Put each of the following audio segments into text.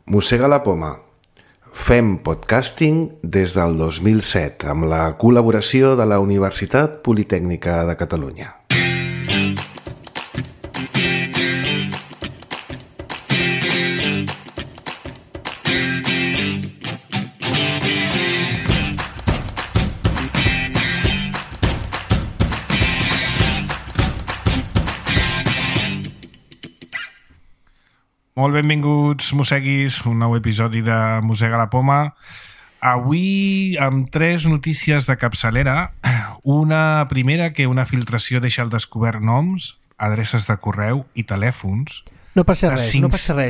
Mossega la poma. Fem podcasting des del 2007 amb la col·laboració de la Universitat Politècnica de Catalunya. Molt benvinguts, mosseguis, un nou episodi de Mossega la poma. Avui amb 3 notícies de capçalera. Una primera, que una filtració deixa al descobert noms, adreces de correu i telèfons. No passa res,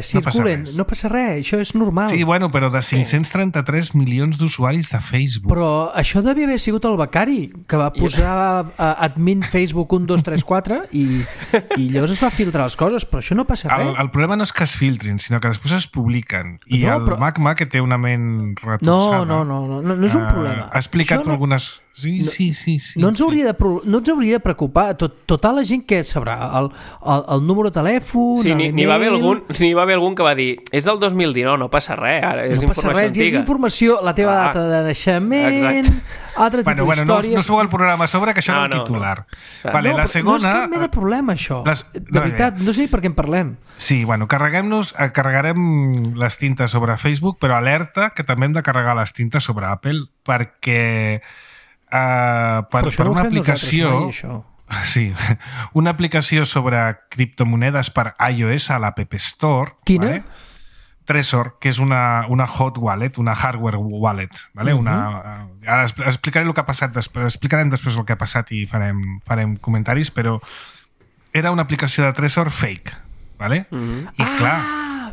circulen, no passa res, això és normal. Sí, bueno, però de 533 milions d'usuaris de Facebook. Però això devia haver sigut el becari, que va posar admin Facebook 1, 2, 3, 4 i llavors es va filtrar les coses, però això no passa res. El problema no és que es filtrin, sinó que després es publiquen. I no, el Magma, que té una ment retorçada... No és un problema. Ha explicat algunes... Sí. No ens hauria de preocupar. Tota la gent que sabrà el número de telèfon... Sí, n'hi va haver algun que va dir és del 2019, no passa res, ara és informació antiga. És informació, la teva data de naixement, altre tipus d'històries... No es veu el programa a sobre, que això era el titular. Vale, la segona... No és cap mena de problema, això. De veritat, no sé per què en parlem. Sí, bueno, carregarem les tintes sobre Facebook, però alerta que també hem de carregar les tintes sobre Apple, perquè... per una aplicació una aplicació sobre criptomonedes per iOS a l'App Store. Quina? Vale? Trezor, que és una hot wallet, una hardware wallet, vale? Ara explicaré el que ha passat explicarem després el que ha passat i farem comentaris, però era una aplicació de Trezor fake, vale? I clar,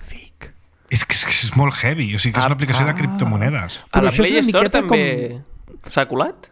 fake. És molt heavy, o sigui que és una aplicació de criptomonedes. A la Play Store també s'ha colat?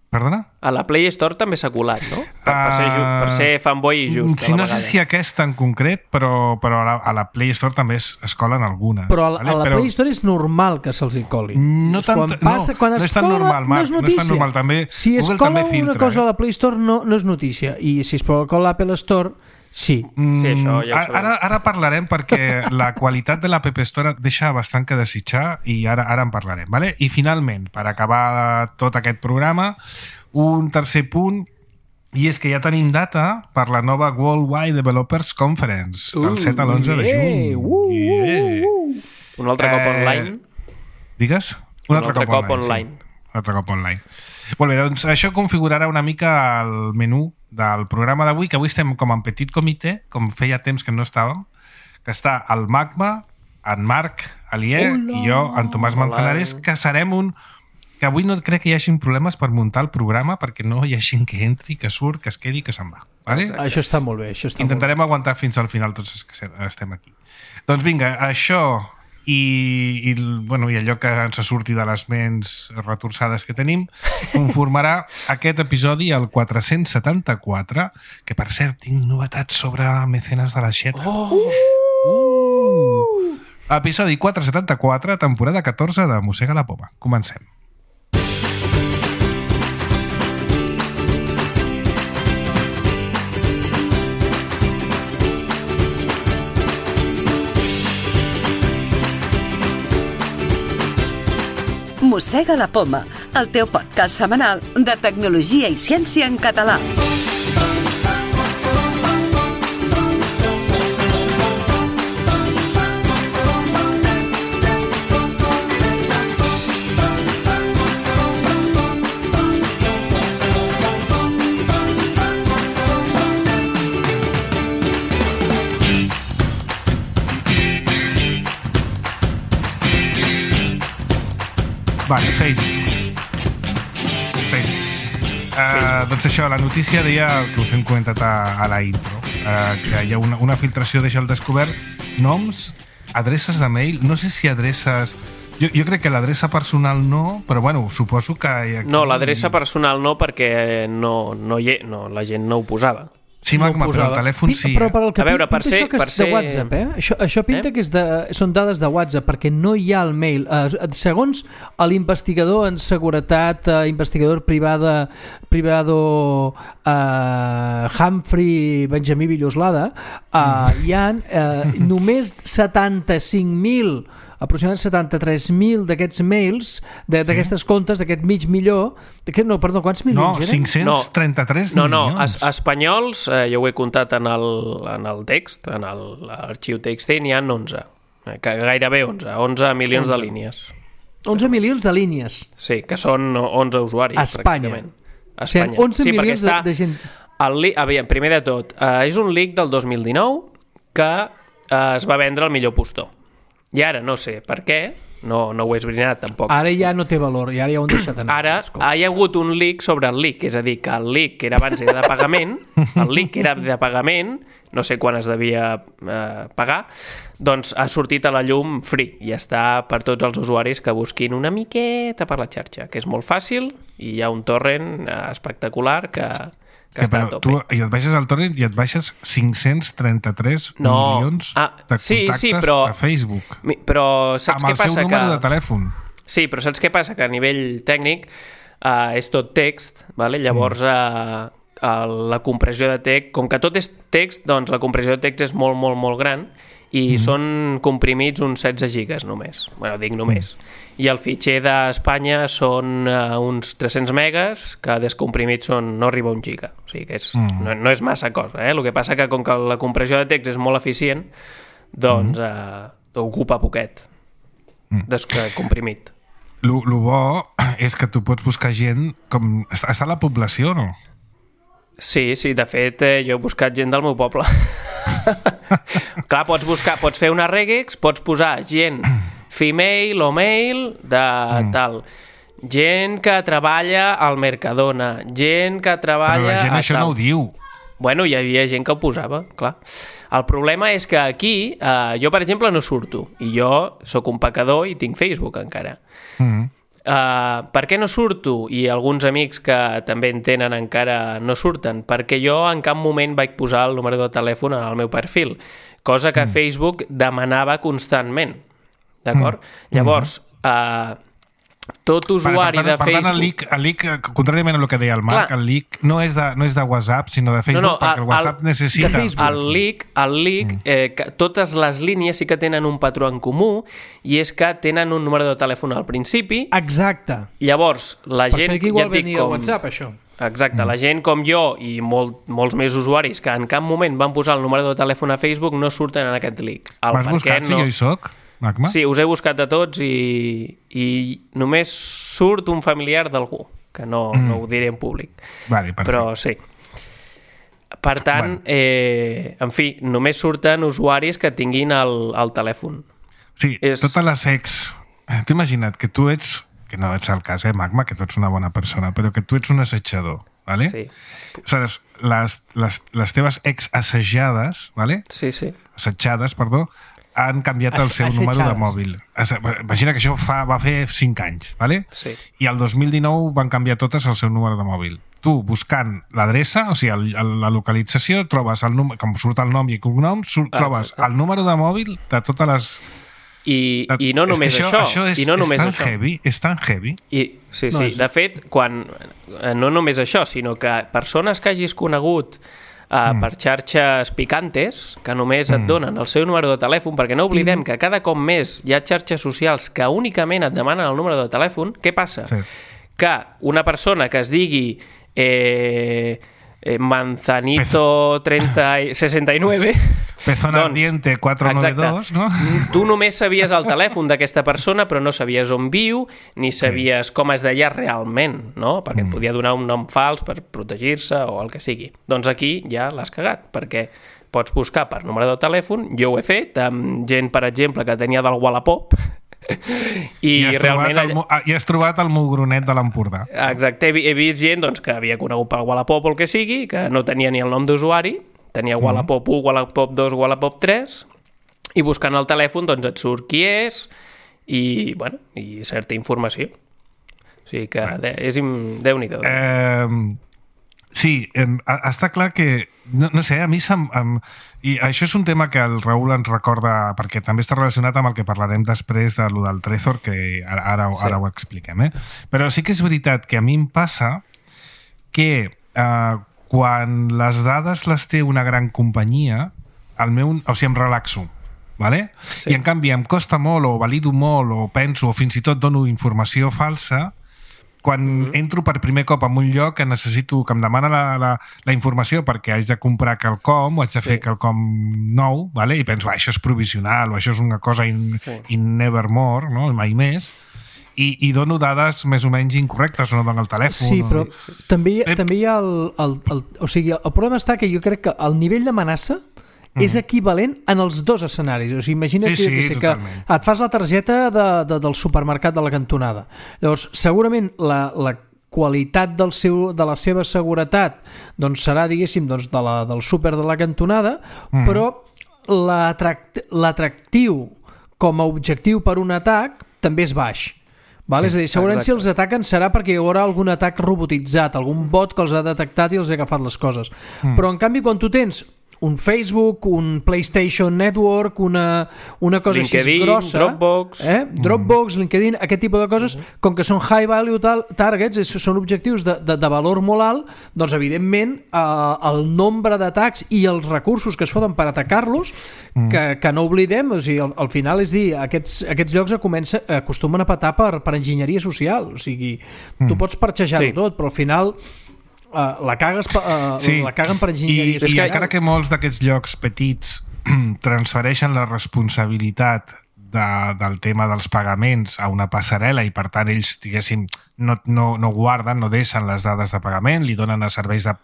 Perdona? A la Play Store també s'ha colat, no? Per ser fanboy i just. Sí, no sé si aquesta en concret, però a la Play Store també es colen algunes. Però a la Play Store és normal que se'ls hi coli. No és tan normal, Marc. No és tan normal. També, si es cola una cosa a la Play Store no és notícia. I si es cola a l'Apple Store... Sí. Això ja ara parlarem, perquè la qualitat de l'App Store deixa bastant que desitjar i ara en parlarem, vale? I finalment, per acabar tot aquest programa, un tercer punt, i és que ja tenim data per la nova Worldwide Developers Conference del 7 a l'11 de juny. Un altre cop online. Digues? Un altre cop online. Sí. Un altre cop online. Molt bé, doncs això configurarà una mica el menú del programa d'avui, que avui estem com en petit comitè, com feia temps que no estàvem, que està el Magma, en Marc Alier i jo, en Tomàs Manzanares, que serem que avui no crec que hi hagi problemes per muntar el programa, perquè no hi ha gent que entri, que surt, que es quedi i que se'n va. Vale? Això està molt bé. Intentarem aguantar fins al final tots els que estem aquí. Doncs vinga, això... I allò que ens surti de les ments retorçades que tenim conformarà aquest episodi, el 474, que per cert tinc novetats sobre Mecenes de la Xeta. Episodi 474, temporada 14 de Mossega la poma. Comencem. Mossega la poma, el teu podcast setmanal de tecnologia i ciència en català. Vale, Facebook. Doncs això, la notícia deia el que us hem comentat a la intro, que hi ha una filtració deixa al descobert noms, adreces de mail, no sé si adreces... Jo crec que l'adreça personal no, però bueno, suposo que... Aquí... No, l'adreça personal no, perquè la gent no ho posava. Sí, Magma, però el telèfon sí. Però per el que a veure, per ser... de WhatsApp, Això pinta que són dades de WhatsApp, perquè no hi ha el mail. Segons l'investigador en seguretat, investigador privado Humphrey Benjamí Villoslada, hi ha només 75.000 aproximadament 73.000 d'aquests mails, d'aquestes comptes, d'aquest mig milió... quants milions eren? 533 milions. No, espanyols, jo ho he comptat en el text, en l'arxiu text, n'hi ha 11, gairebé 11 milions de línies. 11 milions de línies. Sí, que són 11 usuaris. A Espanya. Pràcticament. A Espanya. O sigui, 11 milions de gent. Primer de tot, és un leak del 2019 que es va vendre al millor postor. I ara no sé per què, no ho he esbrinat tampoc. Ara ja no té valor, i ara ja ho han deixat anar. Ara hi ha hagut un leak sobre el leak, és a dir, que el leak que era abans era de pagament, el leak que era de pagament, no sé quan es devia pagar, doncs ha sortit a la llum free i està per tots els usuaris que busquin una miqueta per la xarxa, que és molt fàcil i hi ha un torrent espectacular que està a tope. I et baixes al torrent i et baixes 533 milions de contactes a Facebook. Però saps què passa? Amb el seu número de telèfon. Sí, però saps què passa? Que a nivell tècnic és tot text, vale? Llavors la compressió de text, com que tot és text, doncs la compressió de text és molt, molt, molt gran i són comprimits uns 16 gigas només. Bueno, dic només. I el fitxer d'Espanya són uns 300 megas, que descomprimits no arriba a 1 giga. O sigui que no és massa cosa. El que passa que com que la compressió de text és molt eficient, doncs ocupa poquet descomprimit. Lo bo és que tu pots buscar gent com... Està a la població, no? Sí, de fet jo he buscat gent del meu poble. Clar, pots fer una regex, pots posar gent female o male de tal, gent que treballa al Mercadona, gent que treballa... Però la gent això no ho diu. Bueno, hi havia gent que ho posava, clar. El problema és que aquí, jo per exemple no surto, i jo sóc un pecador i tinc Facebook encara. Per què no surto? I alguns amics que també en tenen encara no surten, perquè jo en cap moment vaig posar el número de telèfon en el meu perfil, cosa que Facebook demanava constantment, d'acord? Llavors, tot usuari de Facebook... Per tant, el leak, contràriament a el que deia el Marc, el leak no és de WhatsApp, sinó de Facebook, perquè el WhatsApp necessita... El leak, totes les línies sí que tenen un patró en comú, i és que tenen un número de telèfon al principi. Exacte. Llavors, la gent... Per això que igual venia a WhatsApp, això. Exacte, la gent com jo i molts més usuaris que en cap moment van posar el número de telèfon a Facebook no surten en aquest leak. M'has buscat si jo hi soc? Magma? Sí, us he buscat a tots i només surt un familiar d'algú, que no ho diré en públic. Vale, però sí. Per tant, en fi, només surten usuaris que tinguin el telèfon. Sí, totes les ex... T'ho imagina't que tu ets, que no ets el cas, Magma, que tu ets una bona persona, però que tu ets un assetjador, ¿vale? Sí. Aleshores, les teves ex assajades, ¿vale? Sí. Assetjades, perdó, han canviat el seu número de mòbil. Imagina que això va fer 5 anys, ¿vale? Sí. I el 2019 van canviar totes el seu número de mòbil. Tu, buscant l'adreça, o sigui, la localització, trobes el número, com surt el nom i cognom, trobes el número de mòbil de totes les... I no només això. És tan heavy. Sí. De fet, no només això, sinó que persones que hagis conegut per xarxes picantes, que només et donen el seu número de telèfon, perquè no oblidem que cada cop més hi ha xarxes socials que únicament et demanen el número de telèfon. Què passa? Sí. Que una persona que es digui Manzanito 69 Pezón ardiente 492, no? Tu només sabies el telèfon d'aquesta persona, però no sabies on viu, ni sabies com es deia realment, no? Perquè et podia donar un nom fals per protegir-se o el que sigui. Doncs aquí ja l'has cagat, perquè pots buscar per número de telèfon. Jo ho he fet amb gent, per exemple, que tenia del Wallapop, i has trobat el mugronet de l'Empordà. Exacte, he vist gent que havia conegut pel Wallapop o el que sigui, que no tenia ni el nom d'usuari, tenia Wallapop 1, Wallapop 2, Wallapop 3, i buscant el telèfon et surt qui és i certa informació. O sigui que és Déu-n'hi-do. Sí, està clar que no sé, a mi i això és un tema que el Raül ens recorda, perquè també està relacionat amb el que parlarem després de lo del Trezor, que ara ho expliquem, però sí que és veritat que a mi em passa que quan les dades les té una gran companyia, em relaxo. vale? I en canvi em costa molt o valido molt o penso o fins i tot dono informació falsa quan entro per primer cop en un lloc que necessito, que em demana la informació perquè haig de comprar quelcom o haig de fer quelcom nou, vale? I penso, això és provisional o això és una cosa in nevermore, no? Mai més, i dono dades més o menys incorrectes o no dono el telèfon. Sí, però també hi ha o sigui, el problema està que jo crec que el nivell d'amenaça és equivalent en els dos escenaris. O sigui, imagina't que et fas la targeta del supermercat de la cantonada. Llavors, segurament la qualitat de la seva seguretat doncs serà, diguéssim, doncs, del súper de la cantonada, però l'atractiu com a objectiu per un atac també és baix. Val? És a dir, segurament si els ataquen serà perquè hi haurà algun atac robotitzat, algun bot que els ha detectat i els ha agafat les coses. Però en canvi quan tu tens un Facebook, un PlayStation Network, una cosa LinkedIn, així grossa, Dropbox, LinkedIn, aquest tipus de coses, com que són high value targets, són objectius de valor molt alt, doncs evidentment el nombre d'atacs i els recursos que es foten per atacar-los, que no oblidem, o sigui, al final és dir, aquests llocs acostumen a petar per enginyeria social, o sigui, tu pots parxejar-ho tot, però al final la caguen per enginyeria social. I encara que molts d'aquests llocs petits transfereixen la responsabilitat del tema dels pagaments a una passarel·la i per tant ells, diguéssim, no guarden, no deixen les dades de pagament, li donen a serveis de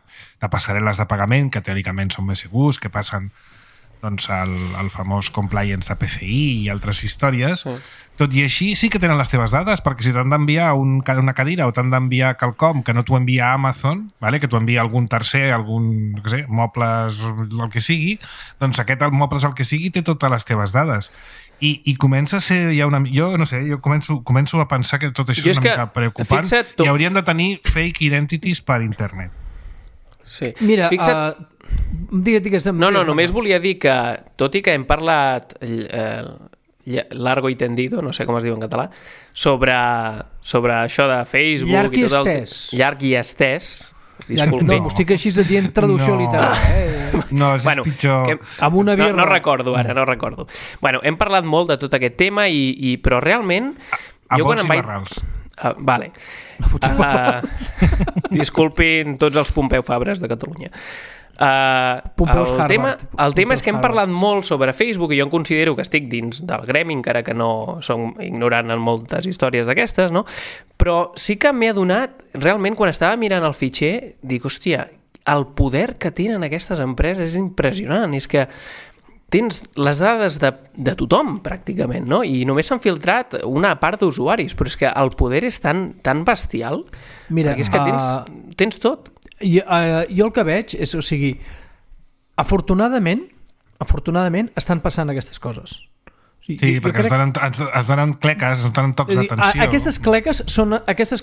passarel·les de pagament que teòricament són més segurs, que passen doncs, el famós compliance de PCI i altres històries. Tot i així sí que tenen les teves dades, perquè si t'han d'enviar una cadira o t'han d'enviar quelcom que no t'ho envia Amazon, vale? Que t'ho envia algun tercer, no sé, mobles, el que sigui, doncs aquest mobles el que sigui té totes les teves dades. I comença a ser ja jo no sé, jo començo a pensar que tot això és una mica preocupant i hauríem de tenir fake identities per internet. Sí. Mira, digues. No, només volia dir que, tot i que hem parlat largo i tendido, no sé com es diu en català, sobre això de Facebook llarg i tot llarg i estès. Disculpi. No, estic així dient traducció literal. No, és pitjor. Amb una birra. No recordo ara, no recordo. Bueno, hem parlat molt de tot aquest tema, però realment... A bots i barrals. Vale. Disculpin tots els Pompeu Fabres de Catalunya. El tema és que hem parlat molt sobre Facebook i jo em considero que estic dins del gremi, encara que no som ignorant en moltes històries d'aquestes, no? Però sí que m'he adonat, realment, quan estava mirant el fitxer, dic, hòstia, el poder que tenen aquestes empreses és impressionant, és que tens les dades de tothom, pràcticament, no? I només s'han filtrat una part d'usuaris, però és que el poder és tan bestial. Mira, perquè és que tens tot. Jo el que veig és, o sigui, afortunadament estan passant aquestes coses. Sí, perquè es donen cleques, es donen tocs d'atenció. Aquestes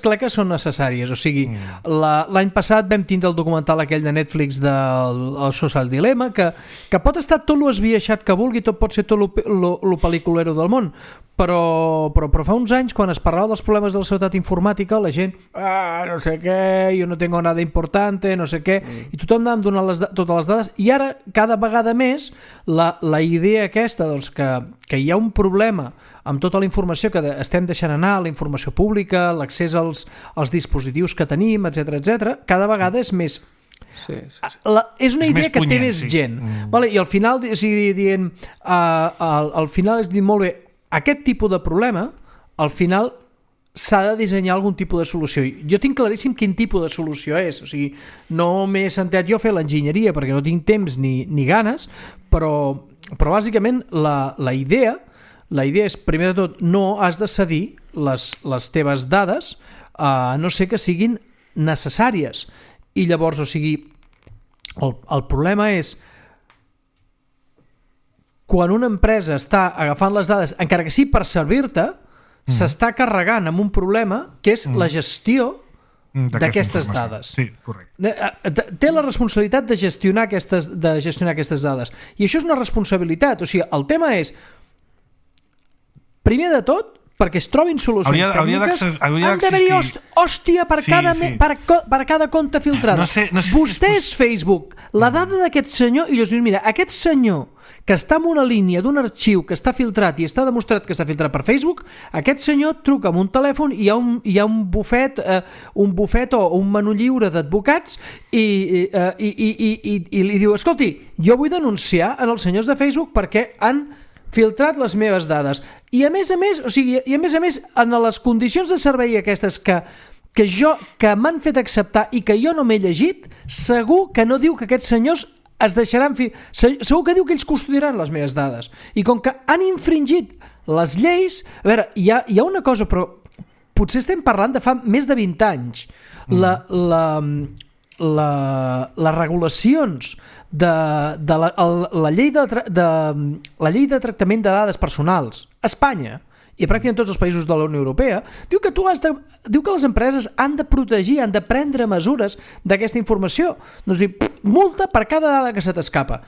cleques són necessàries. O sigui, l'any passat vam tindre el documental aquell de Netflix del Social Dilemma, que pot estar tot lo esbiaixat que vulgui, tot pot ser tot lo pel·liculero del món, però fa uns anys, quan es parlava dels problemes de la seguretat informàtica, la gent, no sé què, jo no tengo nada importante, no sé què, i tothom anava donant totes les dades, i ara, cada vegada més, la idea aquesta, doncs, que hi ha un problema amb tota la informació que estem deixant anar, la informació pública, l'accés als dispositius que tenim, etc, cada vegada és més... Sí. És una idea que té més gent. Vale? I al final, al final és dir, molt bé, aquest tipus de problema, al final s'ha de dissenyar algun tipus de solució. Jo tinc claríssim quin tipus de solució és. O sigui, no m'he sentat jo a fer l'enginyeria perquè no tinc temps ni ganes, però bàsicament la idea és, primer de tot, no has de cedir les teves dades a no ser que siguin necessàries. I llavors, o sigui, el problema és quan una empresa està agafant les dades, encara que sí per servir-te, s'està carregant amb un problema que és la gestió d'aquestes dades. Sí, correcte. Té la responsabilitat de gestionar aquestes dades. I això és una responsabilitat. O sigui, el tema és, primer de tot, perquè es trobin solucions tècniques, han d'haver-hi hòstia per cada compte filtrada. Vostè és Facebook, la dada d'aquest senyor, i llavors dius, mira, aquest senyor que està en una línia d'un arxiu que està filtrat i està demostrat que està filtrat per Facebook, aquest senyor truca amb un telèfon i hi ha un bufet o un menú lliure d'advocats i li diu, escolti, jo vull denunciar en els senyors de Facebook perquè han filtrat les meves dades. I a més a més, en les condicions de servei aquestes que m'han fet acceptar i que jo no m'he llegit, segur que no diu que aquests senyors es deixaran... Segur que diu que ells custodiaran les meves dades. I com que han infringit les lleis... A veure, hi ha una cosa, però potser estem parlant de fa més de 20 anys. Les regulacions de la llei de tractament de dades personals a Espanya i pràcticament tots els països de la Unió Europea diu que les empreses han de protegir, han de prendre mesures d'aquesta informació. Doncs multa per cada dada que se t'escapa.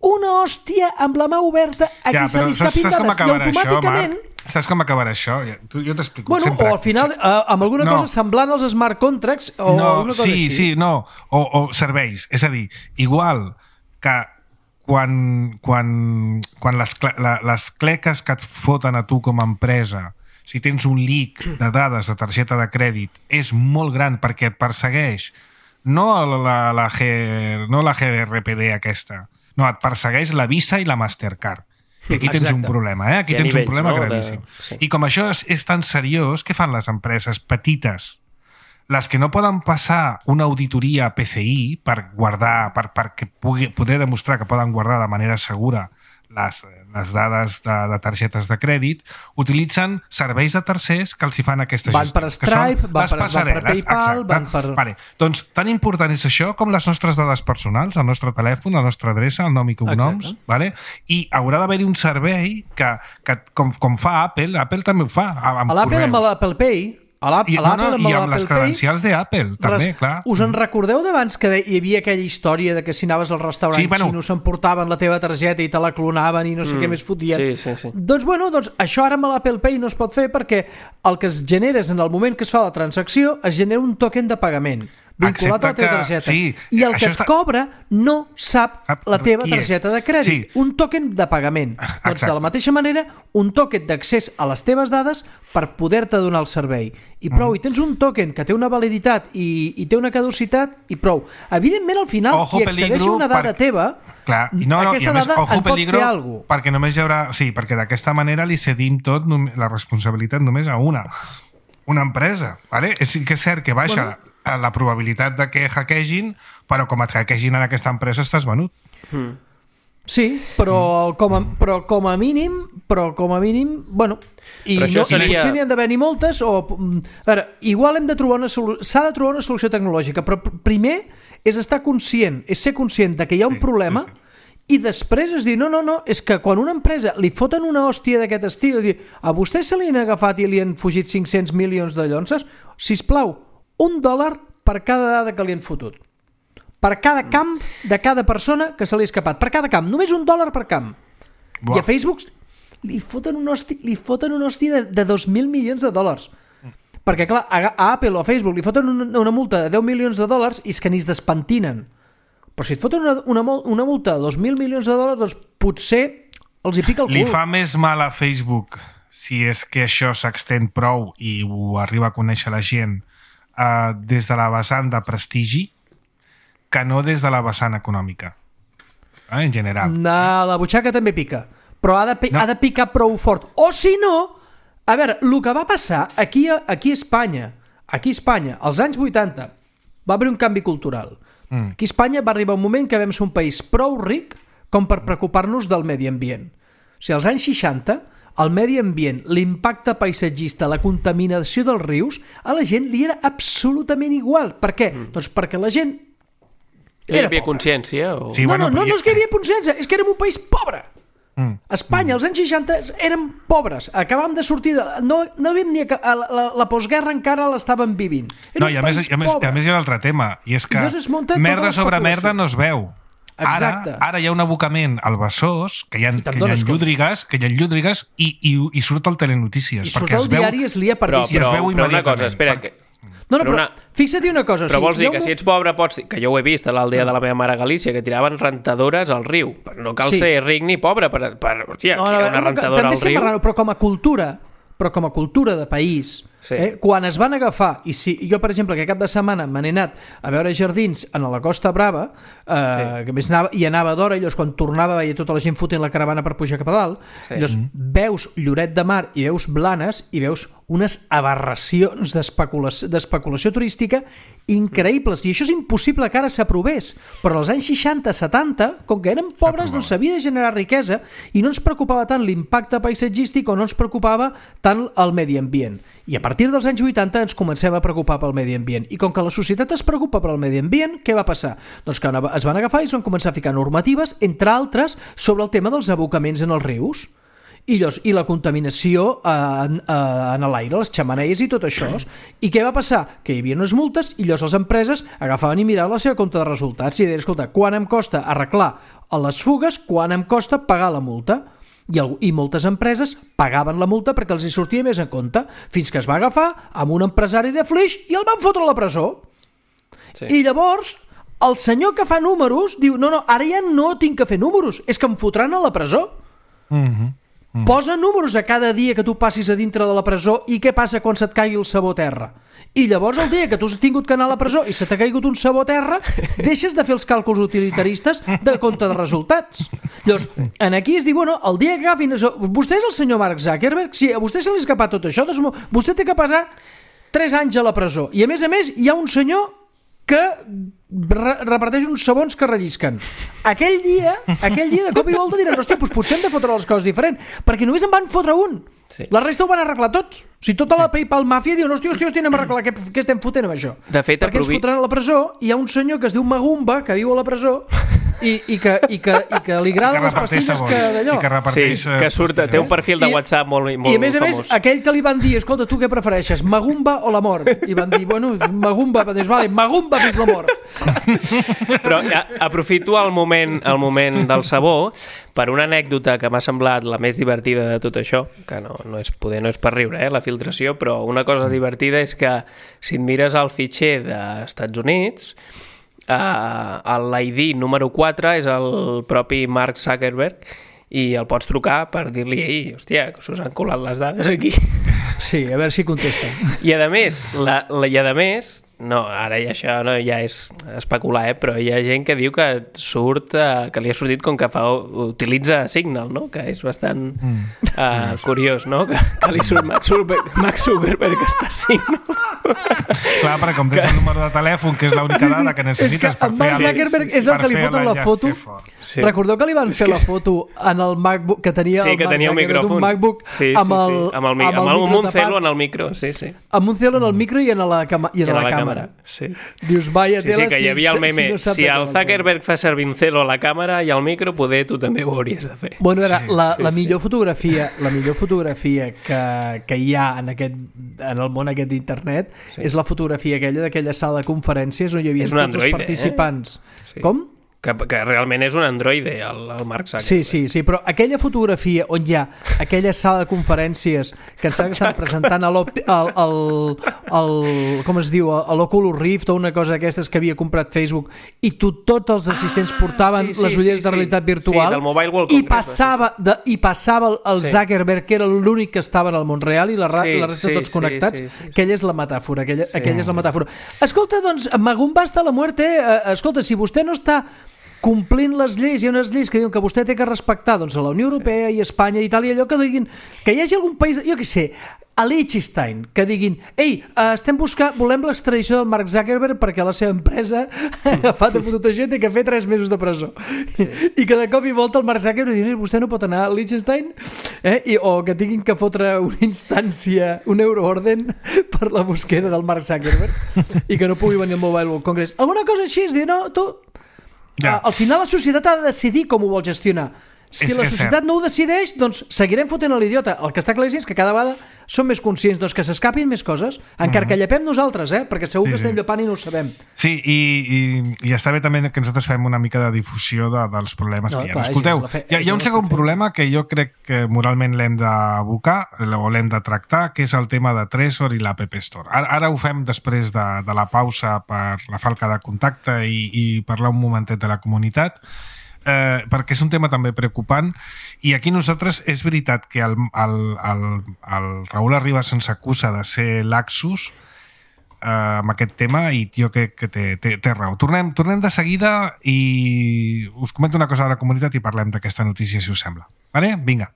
Una hòstia amb la mà oberta a qui se li escapin dades i automàticament... Saps com acabarà això? Jo t'explico. Bueno, o al final, amb alguna cosa semblant als smart contracts o alguna cosa així. O serveis. És a dir, igual que quan les cleques que et foten a tu com a empresa, si tens un leak de dades de targeta de crèdit, és molt gran perquè et persegueix no la GRPD aquesta, no, et persegueix la Visa i la Mastercard. I aquí tens un problema, Aquí tens un problema gravíssim. I com això és tan seriós, què fan les empreses petites? Les que no poden passar una auditoria a PCI per guardar, perquè poder demostrar que poden guardar de manera segura les dades de targetes de crèdit, utilitzen serveis de tercers que els hi fan aquesta gestió. Van per Stripe, van per PayPal, van per... Vale. Doncs tan important és això com les nostres dades personals, el nostre telèfon, la nostra adreça, el nom i cognoms, vale? I haurà d'haver-hi un servei que com fa Apple també ho fa amb l'Apple amb l'Apple Pay, i amb les credencials d'Apple també, clar. Us en recordeu d'abans que hi havia aquella història de que si anaves al restaurant xino s'emportaven la teva targeta i te la clonaven i no sé què més fotien? Sí. Doncs això ara amb l'Apple Pay no es pot fer perquè el que es genera és en el moment que es fa la transacció es genera un token de pagament vinculat a la teva targeta. I el que et cobra no sap la teva targeta de crèdit. Un token de pagament. Doncs de la mateixa manera, un token d'accés a les teves dades per poder-te donar el servei. I prou, i tens un token que té una validitat i té una caducitat i prou. Evidentment, al final, qui accedeix a una dada teva, aquesta dada en pot fer alguna cosa. Perquè només hi haurà... Sí, perquè d'aquesta manera li cedim tot la responsabilitat només a una empresa. Vale? Sí que és cert que baixa la probabilitat de que hackegin, però com et hackegin en aquesta empresa estàs venut. Sí, però com a mínim, bueno, i no n'hi han d'haver ni moltes, a veure, igual hem de trobar s'ha de trobar una solució tecnològica, però primer és estar conscient, és ser conscient de que hi ha un problema. I després es diu, no, és que quan una empresa li foten una hòstia d'aquest estil, a vostè se li han agafat i li han fugit 500 milions de llonces, sisplau, $1 per cada dada que li han fotut. Per cada camp de cada persona que se li ha escapat. Per cada camp. Només $1 per camp. I a Facebook li foten una hòstia de 2.000 milions de dòlars. Perquè, clar, a Apple o a Facebook li foten una multa de $10 milions i és que ni es despentinen. Però si et foten una multa de 2.000 milions de dòlars, doncs potser els hi pica el cul. Li fa més mal a Facebook si és que això s'extén prou i ho arriba a conèixer la gent des de la vessant de prestigi que no des de la vessant econòmica, en general. La butxaca també pica, però ha de picar prou fort. O si no, a veure, el que va passar aquí a Espanya, als anys 80, va haver un canvi cultural. Aquí a Espanya va arribar un moment que vam ser un país prou ric com per preocupar-nos del medi ambient. O sigui, als anys 60, el medi ambient, l'impacte paisatgista, la contaminació dels rius, a la gent li era absolutament igual. Per què? Doncs perquè la gent hi havia consciència? O... Sí, no és que hi havia consciència, és que érem un país pobre. A Espanya, als anys 60, érem pobres. Acabàvem de sortir... No havíem ni... La postguerra encara l'estàvem vivint. I a més hi ha un altre tema, i és que merda sobre merda no es veu. Ara hi ha un abocament al Besòs, que hi ha llúdrigues i surt al Telenotícies. I surt al diari es lia per però una cosa, espera, però fixa't una cosa. Però vols dir que si ets pobre pots... Que jo ho he vist a l'aldea de la meva mare a Galícia, que tiraven rentadores al riu. No cal ser ric ni pobre per hòstia, tirar una rentadora al riu. Però com a cultura de país, quan es van agafar, i si jo, per exemple, que cap de setmana me n'he anat a veure jardins a la Costa Brava, que més anava d'hora, i llavors quan tornava veia tota la gent fotent la caravana per pujar cap a dalt, llavors veus Lloret de Mar i veus Blanes i veus unes aberracions d'especulació turística increïbles, i això és impossible que ara s'aprovés, però als anys 60-70, com que érem pobres, doncs s'havia de generar riquesa i no ens preocupava tant l'impacte paisatgístic o no ens preocupava tant el medi ambient. I a partir dels anys 80 ens comencem a preocupar pel medi ambient. I com que la societat es preocupa pel medi ambient, què va passar? Doncs que es van agafar i es van començar a ficar normatives, entre altres, sobre el tema dels abocaments en els rius. I la contaminació en l'aire, les xemeneies i tot això. I què va passar? Que hi havia unes multes i llavors les empreses agafaven i miraven la seva compte de resultats i deien, escolta, quan em costa arreglar les fugues, quan em costa pagar la multa? I moltes empreses pagaven la multa perquè els hi sortia més en compte, fins que es va agafar amb un empresari de Flix i el van fotre a la presó. I llavors el senyor que fa números diu, no, ara ja no tinc que fer números, és que em fotran a la presó. Posa números a cada dia que tu passis a dintre de la presó i què passa quan se't caigui el sabó a terra. I llavors el dia que tu has tingut que anar a la presó i se t'ha caigut un sabó a terra, deixes de fer els càlculs utilitaristes de compte de resultats. Llavors, aquí es diu, bueno, el dia que agafin... Vostè és el senyor Mark Zuckerberg? Si a vostè se li ha escapat tot això, doncs vostè té que passar 3 anys a la presó. I a més, hi ha un senyor que reparteix uns sabons que rellisquen. Aquell dia de cop i volta diran, hòstia, doncs potser hem de fotre les coses diferent, perquè només en van fotre un. La resta ho van arreglar tots. O sigui, tota la PayPal màfia diu, hòstia, anem a arreglar, què estem fotent amb això? De fet, perquè ens fotran a la presó, i hi ha un senyor que es diu Magumba, que viu a la presó, i que li agraden les pastilles d'allò. Que surt, té un perfil de WhatsApp molt famós. I a més, aquell que li van dir, escolta, tu què prefereixes, Magumba o la mort? I van dir, bueno, Magumba, doncs vale, Magumba fins la mort. Però aprofito el moment del sabó per una anècdota que m'ha semblat la més divertida de tot això, que no és per riure, la filtració, però una cosa divertida és que si et mires el fitxer dels Estats Units, l'ID número 4 és el propi Mark Zuckerberg i el pots trucar per dir-li, ei, hòstia, que us han colat les dades aquí. Sí, a veure si contesta. I a més, no, ara això ja és especular, però hi ha gent que diu que que li ha sortit com que utilitza Signal, no? Que és bastant curiós, no? Que li surt Mark Zuckerberg que està a Signal. Clar, perquè com tens el número de telèfon, que és l'única dada que necessites per fer... Mark Zuckerberg és el que li foten la foto. Recordeu que li van fer la foto en el MacBook, que tenia el Mark Zuckerberg d'un MacBook amb el Moncelo en el micro, sí. Amb Moncelo en el micro i en la càmera. Sí. Dius, vaya tela, que hi havia el meme, si el Zuckerberg fa servir un celo a la càmera i al micro, poder tu també ho hauries de fer. Bueno, la millor fotografia que hi ha en el món aquest d'internet és la fotografia aquella sala de conferències on hi havia tots els participants. Com? Que realment és un androide, el Mark Zuckerberg. Sí, però aquella fotografia on hi ha aquella sala de conferències que ens estan presentant com es diu, l'Oculus Rift o una cosa d'aquestes que havia comprat Facebook i tots els assistents portaven les ulleres de realitat virtual i passava el Zuckerberg, que era l'únic que estava en el món real i la resta tots connectats. Aquella és la metàfora. Escolta, doncs, Magumba hasta la muerte. Escolta, si vostè no està complint les lleis, hi ha unes lleis que diuen que vostè té que respectar, doncs, a la Unió Europea i Espanya i tal, i allò que diguin, que hi hagi algun país, jo què sé, a Liechtenstein, que diguin, ei, volem l'extradició del Mark Zuckerberg perquè la seva empresa ha agafat a tot això i té que fer 3 mesos de presó. I que de cop i volta el Mark Zuckerberg diu, vostè no pot anar a Liechtenstein, o que tinguin que fotre una instància, un euroorden per la búsqueda del Mark Zuckerberg i que no pugui venir al Mobile World Congress. Alguna cosa així és dir, no, tu... Al final la societat ha de decidir com ho vol gestionar. Si la societat no ho decideix, doncs seguirem fotent a l'idiota. El que està claríssim és que cada vegada som més conscients que s'escapin més coses, encara que llepem nosaltres, perquè segur que estem llepant i no ho sabem. Sí, i està bé també que nosaltres fem una mica de difusió dels problemes que hi ha. Escolteu, hi ha un segon problema que jo crec que moralment l'hem d'abocar o l'hem de tractar, que és el tema de Trezor i l'App Store. Ara ho fem després de la pausa per la falca de contacte i parlar un momentet de la comunitat, perquè és un tema també preocupant, i aquí nosaltres és veritat que el Raül Arribas ens acusa de ser laxos amb aquest tema, i jo crec que té raó. Tornem de seguida i us comento una cosa de la comunitat i parlem d'aquesta notícia, si us sembla. Vale? Vinga.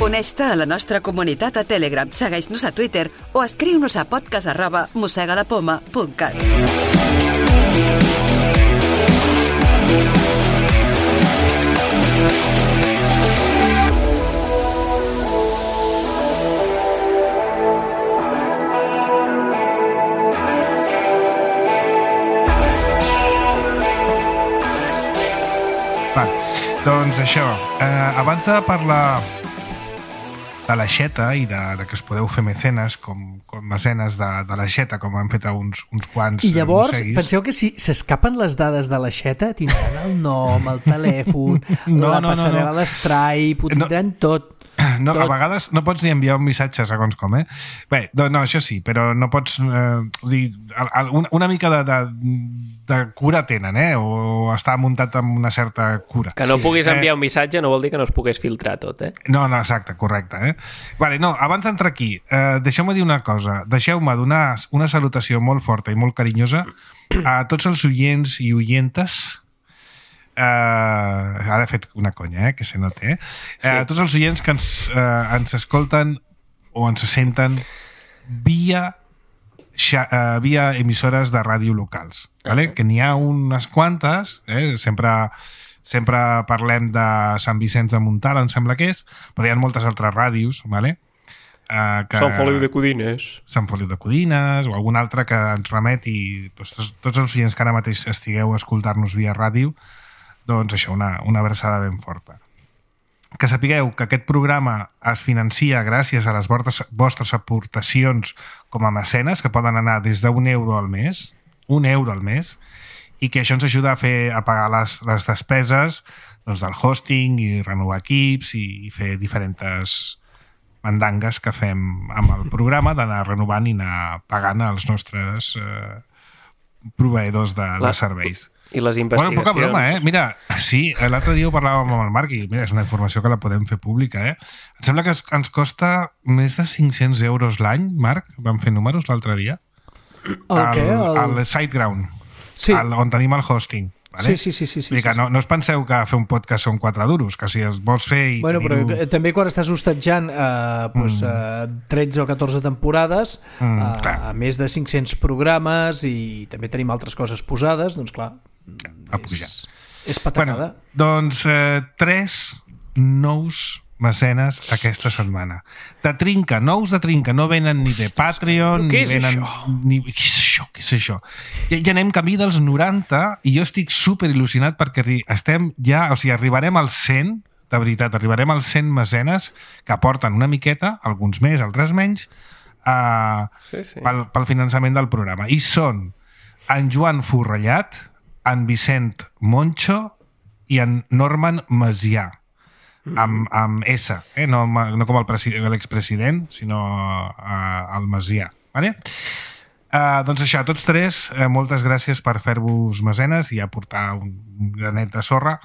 Uneix-te a la nostra comunitat a Telegram, segueix-nos a Twitter o escriu-nos a podcast@mossegalapoma.cat. Doncs això, abans de parlar de l'aixeta i de que us podeu fer mecenes com mecenes de l'aixeta, com han fet uns quants. I llavors, penseu que si s'escapen les dades de l'aixeta, tindran el nom, el telèfon, la passarel·la d'Stripe, ho tindran tot. No, a vegades no pots ni enviar un missatge segons com, Bé, no, això sí, però no pots dir, una mica de cura tenen, o està muntat amb una certa cura. Que no puguis enviar un missatge no vol dir que no es pogués filtrar tot, No, exacte, correcte, Vale, no, abans d'entrar aquí, deixeu-me dir una cosa, deixeu-me donar una salutació molt forta i molt carinyosa a tots els oients i oientes. Ara he fet una conya, que se nota, tots els oients que ens escolten o ens senten via emissores de ràdio locals, vale? Que n'hi ha unes quantes, sempre parlem de Sant Vicenç de Montalt, em sembla que és, però hi ha moltes altres ràdios, vale? Sant Feliu de Codines, o algun altre que ens remeti, tots els oients que ara mateix estigueu a escoltar-nos via ràdio, doncs això, una abraçada ben forta. Que sapigueu que aquest programa es financia gràcies a les vostres aportacions com a mecenes, que poden anar des d'€1 al mes, €1 al mes, i que això ens ajuda a pagar les despeses del hosting i renovar equips i fer diferents mandangues que fem amb el programa, d'anar renovant i anar pagant els nostres proveïdors de serveis. I les investigacions. Bueno, poca broma, Mira, sí, l'altre dia ho parlàvem amb el Marc i mira, és una informació que la podem fer pública, Em sembla que ens costa més de €500 l'any, Marc, vam fer números l'altre dia. El SiteGround, sí. On tenim el hosting. Vale? Sí. Que no us penseu que fer un podcast són 4 duros, que si els vols fer i però també quan estàs hostatjant 13 o 14 temporades, a més de 500 programes, i també tenim altres coses posades, doncs clar, a pujar. És patacada. Doncs 3 nous mecenes aquesta setmana. Nous de trinca, no venen ni de Patreon, ni venen... Què és això? Ja anem camí dels 90 i jo estic super il·lusionat perquè estem ja, arribarem als 100, de veritat, arribarem als 100 mecenes que aporten una miqueta, alguns més, altres menys, pel finançament del programa. I són en Joan Forrellat, en Vicent Moncho i en Norman Macià. Amb S, no com l'expresident, sinó el Macià. Vale? Doncs això, tots tres, moltes gràcies per fer-vos mecenes i aportar un granet de sorra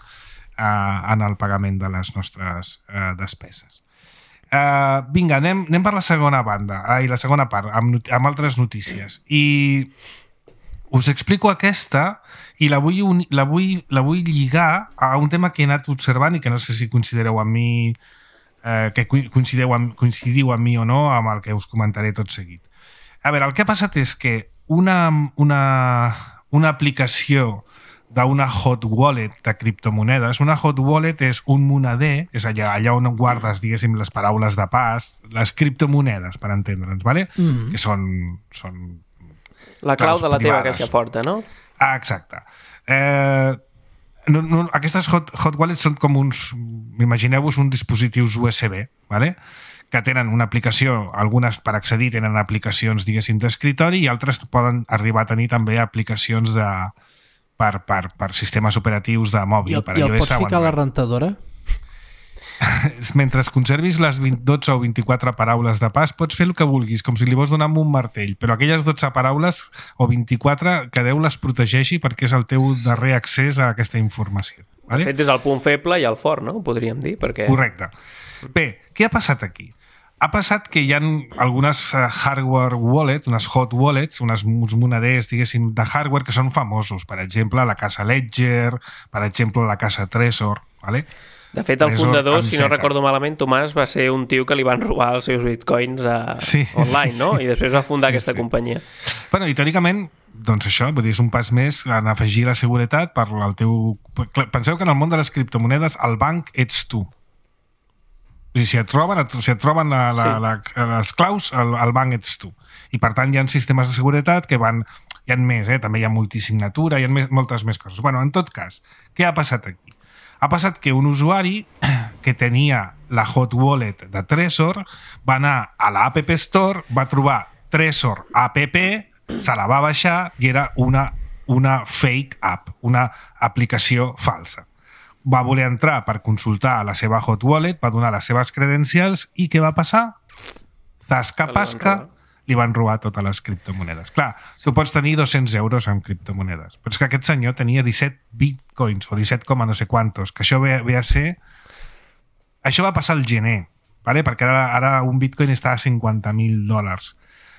en el pagament de les nostres despeses. Vinga, anem per la segona part, amb altres notícies. I us explico aquesta i la vull lligar a un tema que he anat observant i que no sé si considereu amb mi, que coincidiu amb mi o no, amb el que us comentaré tot seguit. A veure, el que ha passat és que una una aplicació d'una hot wallet de criptomonedes. Una hot wallet és un moneder, és allà on guardes, diguéssim, les paraules de pas, les criptomonedes, per entendre'ns, ¿vale? Que són la clau de la teva caixa forta, no? Exacte. Aquestes hot wallets són com uns, imagineu-vos uns dispositius USB, ¿vale? Que tenen una aplicació, algunes per accedir tenen aplicacions, diguéssim, d'escritori i altres poden arribar a tenir també aplicacions per sistemes operatius de mòbil. I el pots ficar a la rentadora? Mentre conservis les 12 o 24 paraules de pas, pots fer el que vulguis, com si li vols donar amb un martell, però aquelles 12 paraules o 24 que Déu les protegeixi perquè és el teu darrer accés a aquesta informació. Vale? De fet, és el punt feble i el fort, no? Podríem dir, perquè... Correcte. Bé, què ha passat aquí? Ha passat que hi ha algunes hardware wallet, unes hot wallets, uns moneders, diguéssim, de hardware que són famosos. Per exemple, la casa Ledger, per exemple, la casa Trezor, ¿vale? De fet, el fundador, si no recordo malament, Tomàs, va ser un tio que li van robar els seus bitcoins online, no? I després va fundar aquesta companyia. Bueno, i teòricament, doncs això, vull dir, és un pas més en afegir la seguretat per al teu... Penseu que en el món de les criptomonedes el banc ets tu. O sigui, si et roben les claus, el banc ets tu. I per tant hi ha sistemes de seguretat que van... Hi ha més, també hi ha multisignatura, hi ha moltes més coses. Bueno, en tot cas, què ha passat aquí? Ha passat que un usuari que tenia la hot wallet de Trezor va anar a la App Store, va trobar Trezor app, se la va baixar i era una fake app, una aplicació falsa. Va voler entrar per consultar la seva hot wallet, va donar les seves credencials i què va passar? Zasca-pasca, li van robar totes les criptomonedes. Clar, tu pots tenir 200 euros en criptomonedes, però és que aquest senyor tenia 17 bitcoins o 17, no sé quantos, que això ve a ser... Això va passar al gener, ¿vale? Perquè ara un bitcoin està a $50,000.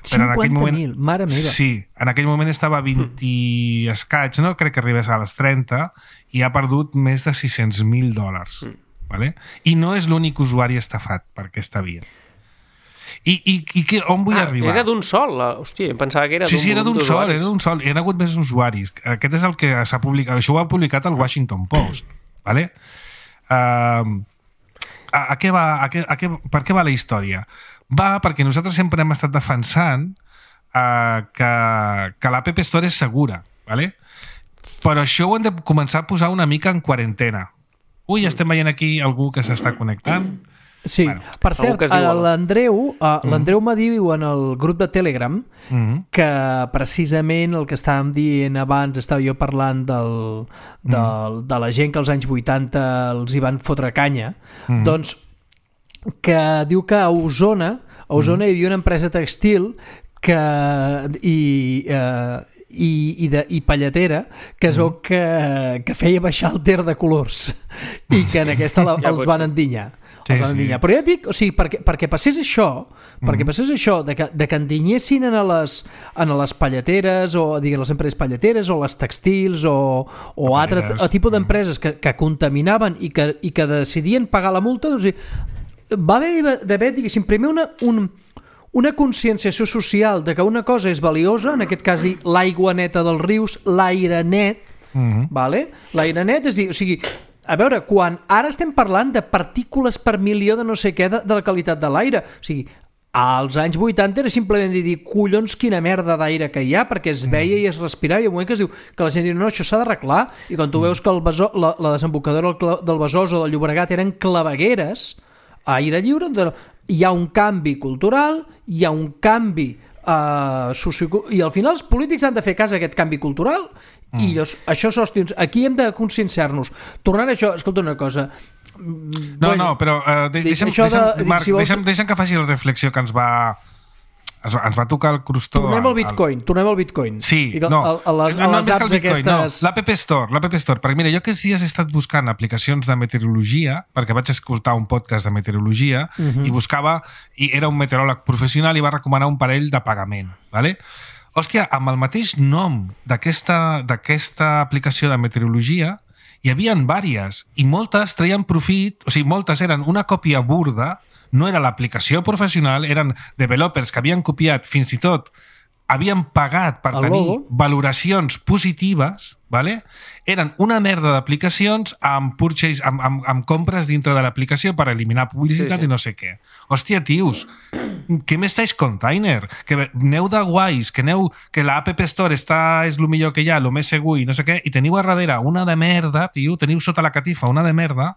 50.000, mare meva. Sí, en aquell moment estava a 20 i escaig, no crec que arribés a les 30 i ha perdut més de $600,000, ¿vale? I no és l'únic usuari estafat per aquesta via. I on vull arribar? Era d'un sol? Hòstia, em pensava que era d'un Sí, era d'un sol. Hi ha hagut més usuaris. Aquest és el que s'ha publicat. Això ho ha publicat el Washington Post. ¿Vale? Per què va la història? Va perquè nosaltres sempre hem estat defensant que l'App Store és segura. ¿Vale? Però això ho hem de començar a posar una mica en quarantena. Ui, estem veient aquí algú que s'està connectant. Sí, bueno, per cert, l'Andreu m'ha dit en el grup de Telegram que precisament el que estàvem dient abans, estava jo parlant de la gent que als anys 80 els hi van fotre canya, doncs que diu que a Osona hi havia una empresa textil i palletera que es veu que feia baixar el ter de colors i que en aquesta els van endinyar. Sí. Però ja et dic, o sigui, perquè passés això, de que endinyessin a les palleteres o diguin les empreses palleteres o les textils o altre tipus d'empreses que contaminaven i que decidien pagar la multa, doncs va haver d'haver, diguéssim, primer una conscienciació social de que una cosa és valiosa, en aquest cas l'aigua neta dels rius, l'aire net, vale? L'aire net és dir, o sigui, a veure, quan ara estem parlant de partícules per milió de no sé què de la qualitat de l'aire, o sigui, als anys 80 era simplement dir, collons, quina merda d'aire que hi ha, perquè es veia i es respirava, i un moment que es diu que la gent diu, no, això s'ha d'arreglar, i quan tu veus que la desembocadora del Besòs o del Llobregat eren clavegueres a aire lliure, hi ha un canvi cultural, hi ha un canvi i al final els polítics han de fer cas a aquest canvi cultural i això s'hòstions, aquí hem de conscienciar-nos. Tornant a això, escolta una cosa, però deixa'm que faci la reflexió que ens va tocar el crostó. Tornem al Bitcoin. Sí, l'App Store, perquè mira, jo aquests dies he estat buscant aplicacions de meteorologia, perquè vaig escoltar un podcast de meteorologia i buscava, i era un meteoròleg professional i va recomanar un parell de pagament, ¿vale? Hòstia, amb el mateix nom d'aquesta aplicació de meteorologia hi havia vàries i moltes treien profit, o sigui, moltes eren una còpia burda, no era l'aplicació professional, eren developers que havien copiat fins i tot havien pagat per tenir valoracions positives, ¿vale? Eren una merda d'aplicacions amb compres dintre de l'aplicació per eliminar publicitat i no sé què. Hòstia, tios, què m'estáis container? Que aneu de guais, que la App Store és el millor que hi ha, el més segur i no sé què, i teniu a darrere una de merda, tio, teniu sota la catifa una de merda,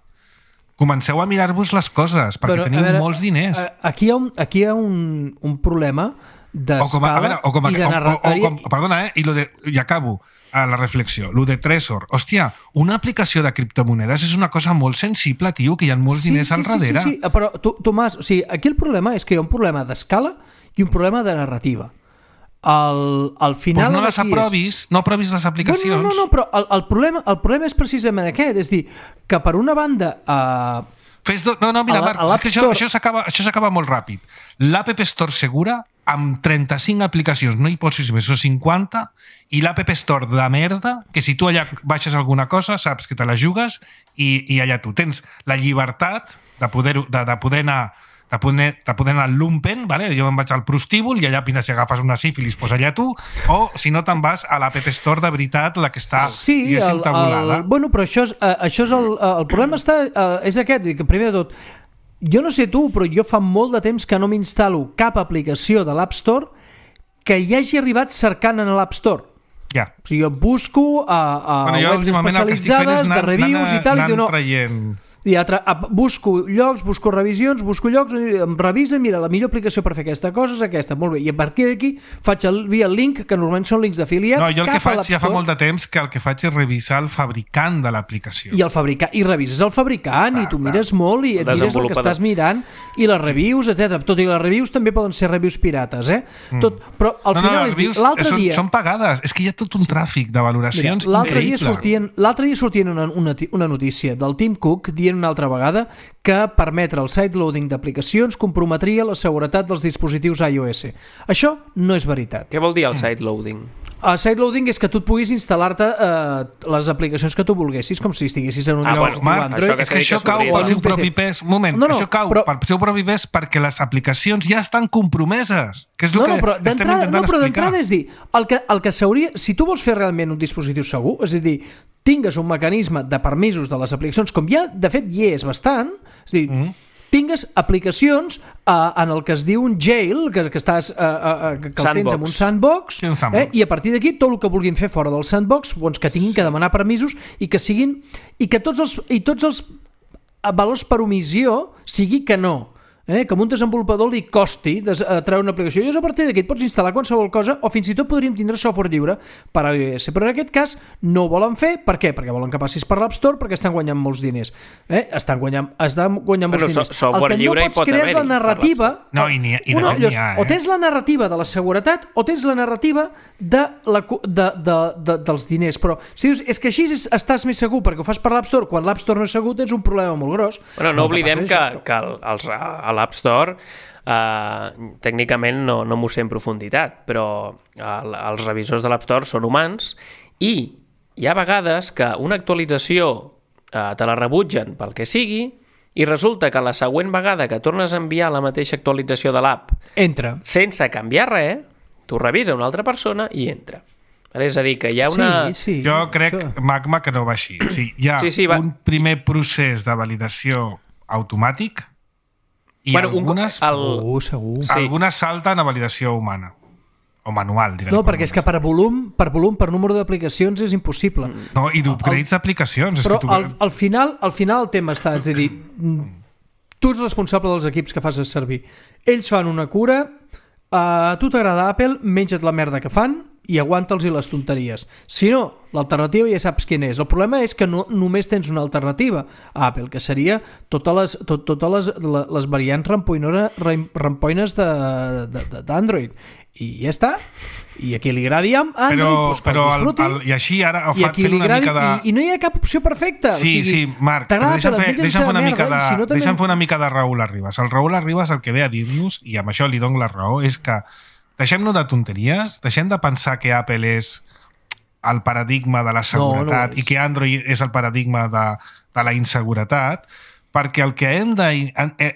comenceu a mirar-vos les coses, perquè teniu molts diners. Aquí hi ha un problema d'escala i de narrativa. Perdona, i acabo la reflexió. Lo de Trezor. Hòstia, una aplicació de criptomonedes és una cosa molt sensible, tio, que hi ha molts diners al darrere. Sí, però, Tomàs, aquí el problema és que hi ha un problema d'escala i un problema de narrativa. Al final... Pues no les aprovis, no aprovis les aplicacions. No, però el problema és precisament aquest. És dir, que per una banda... Mira, Marc, això s'acaba molt ràpid. L'App Store segura, amb 35 aplicacions, no hi posis més, o 50, i l'App Store de merda, que si tu allà baixes alguna cosa, saps que te la jugues i allà tu tens la llibertat de poder anar al lumpen, ¿vale? Jo me'n vaig al prostíbul i allà si agafes una sífilis, pues allà tu, o si no te'n vas a l'App Store de veritat, la que està tabulada. Bueno, però això és el problema és aquest, que primer de tot, jo no sé tu, però jo fa molt de temps que no m'instal·lo cap aplicació de l'App Store que hi hagi arribat cercant en l'App Store. Ja. O sigui, jo busco a webs especialitzades de reviews i tal, i diu no... busco llocs, busco revisions, busco llocs, em revisa, mira, la millor aplicació per fer aquesta cosa és aquesta, molt bé, i a partir d'aquí faig via el link, que normalment són links d'afiliats. No, jo el que faig ja fa molt de temps que el que faig és revisar el fabricant de l'aplicació. I revises el fabricant, i tu mires molt i et mires el que estàs mirant i les reviews, etc. Tot i les reviews també poden ser reviews pirates, però al final és dir, l'altre dia... Són pagades, és que hi ha tot un tràfic de valoracions increïble. L'altre dia sortien una notícia del Tim Cook dient una altra vegada que permetre el sideloading d'aplicacions comprometria la seguretat dels dispositius iOS. Això no és veritat. Què vol dir el sideloading? El sideloading és que tu et puguis instal·lar-te les aplicacions que tu volguessis, com si estiguessis en un dispositiu Android. És que això cau pel seu propi pes. Un moment, això cau pel seu propi pes perquè les aplicacions ja estan compromeses, que és el que estem intentant explicar. Però d'entrada és dir, el que s'hauria... Si tu vols fer realment un dispositiu segur, és a dir, tingues un mecanisme de permisos de les aplicacions, com ja, de fet, hi és bastant, és a dir, tingues aplicacions en el que es diu un jail, que el tens en un sandbox, i a partir d'aquí tot el que vulguin fer fora del sandbox, doncs que tinguin que demanar permisos i que tots els valors per omissió sigui que no. Que a un desenvolupador li costi treure una aplicació. I a partir d'aquí et pots instal·lar qualsevol cosa o fins i tot podríem tindre software lliure per a iOS. Però en aquest cas no ho volen fer. Per què? Perquè volen que passis per l'App Store, perquè estan guanyant molts diners. Estan guanyant molts diners. Software lliure hi pot haver-hi. El que no pots crear és la narrativa... No, i n'hi ha. O tens la narrativa de la seguretat o tens la narrativa dels diners. Però si dius, és que així estàs més segur perquè ho fas per l'App Store, quan l'App Store no és segur tens un problema molt gros. Bueno, no oblidem que a l'App Store tècnicament no m'ho sé en profunditat, però els revisors de l'App Store són humans i hi ha vegades que una actualització te la rebutgen pel que sigui i resulta que la següent vegada que tornes a enviar la mateixa actualització de l'app entra sense canviar res, tu revisa una altra persona i entra. És a dir, que hi ha una... Jo crec, Magma, que no va així. O sigui, hi ha un primer procés de validació automàtic i algunes salten a validació humana o manual, diguem. No, perquè és que per volum, per número d'aplicacions és impossible. No, i d'upgrades d'aplicacions. Però al final el tema està, és a dir, tu ets responsable dels equips que fas servir. Ells fan una cura, a tu t'agrada Apple, menja't la merda que fan i aguanta'ls les tonteries. Si no, l'alternativa ja saps quina és. El problema és que no només tens una alternativa a Apple, que seria totes les variants rampoines d'Android. I ja està. I a qui li agradi Android, i així ara fent una mica de... I no hi ha cap opció perfecta. Sí, Marc, però deixa'm fer una mica de Raúl Arribas. El Raúl Arribas el que ve a dir-nos, i amb això li dono la raó, és que deixem-nos de tonteries, deixem de pensar que Apple és el paradigma de la seguretat i que Android és el paradigma de la inseguretat, perquè el que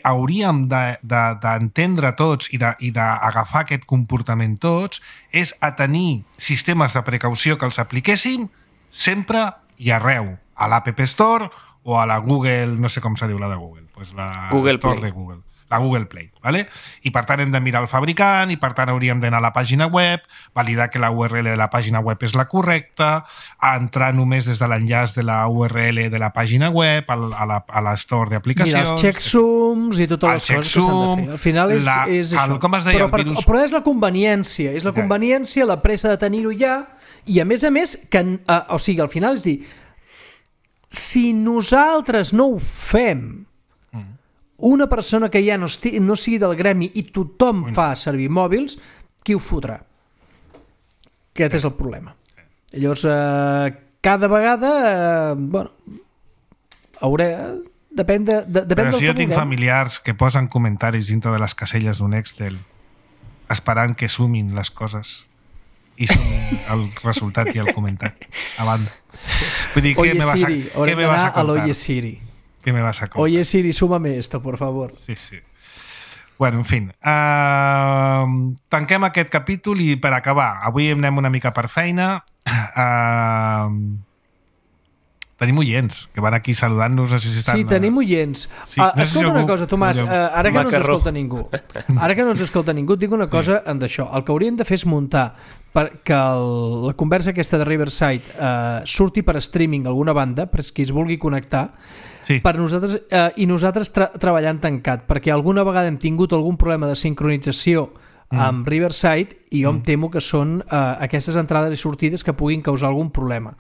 hauríem d'entendre tots i d'agafar aquest comportament tots és a tenir sistemes de precaució que els apliquéssim sempre i arreu, a l'App Store o a la Google, no sé com se diu la de Google, pues la Google Store Play. de Google. La Google Play, ¿vale? I per tant hem de mirar el fabricant i per tant hauríem d'anar a la pàgina web, validar que la URL de la pàgina web és la correcta, entrar només des de l'enllaç de la URL de la pàgina web a la store d'aplicacions. Mira, els checksums i totes les coses que s'han de fer. Al final és això. Com es deia, però és la conveniència, la pressa de tenir-ho ja, i a més, que, o sigui, al final és dir, si nosaltres no ho fem, una persona que ja no sigui del gremi i tothom fa servir mòbils, qui ho fotrà? Aquest és el problema. Llavors, cada vegada, depèn del que Però si jo tinc vulguem. familiars que posen comentaris dintre de les caselles d'un Excel esperant que sumin les coses i sumin el resultat i el comentari a banda. Vull dir, Oye Siri, ¿qué me vas a contar? Oye Siri. ¿Qué me vas a contar? Oye Siri, súmame esto, por favor. Sí. Bueno, en fin. Tanquem aquest capítol i per acabar, avui anem una mica per feina. Tenim oients que van aquí saludant-nos. No sé si estan... Sí, tenim oients. Sí, no sé escolta una cosa, Tomàs, ara que no ens escolta ningú, et dic una cosa d'això. El que hauríem de fer és muntar perquè la conversa aquesta de Riverside surti per streaming a alguna banda, per qui es vulgui connectar, per nosaltres, i nosaltres treballant tancat, perquè alguna vegada hem tingut algun problema de sincronització amb Riverside i jo em temo que són aquestes entrades i sortides que puguin causar algun problema.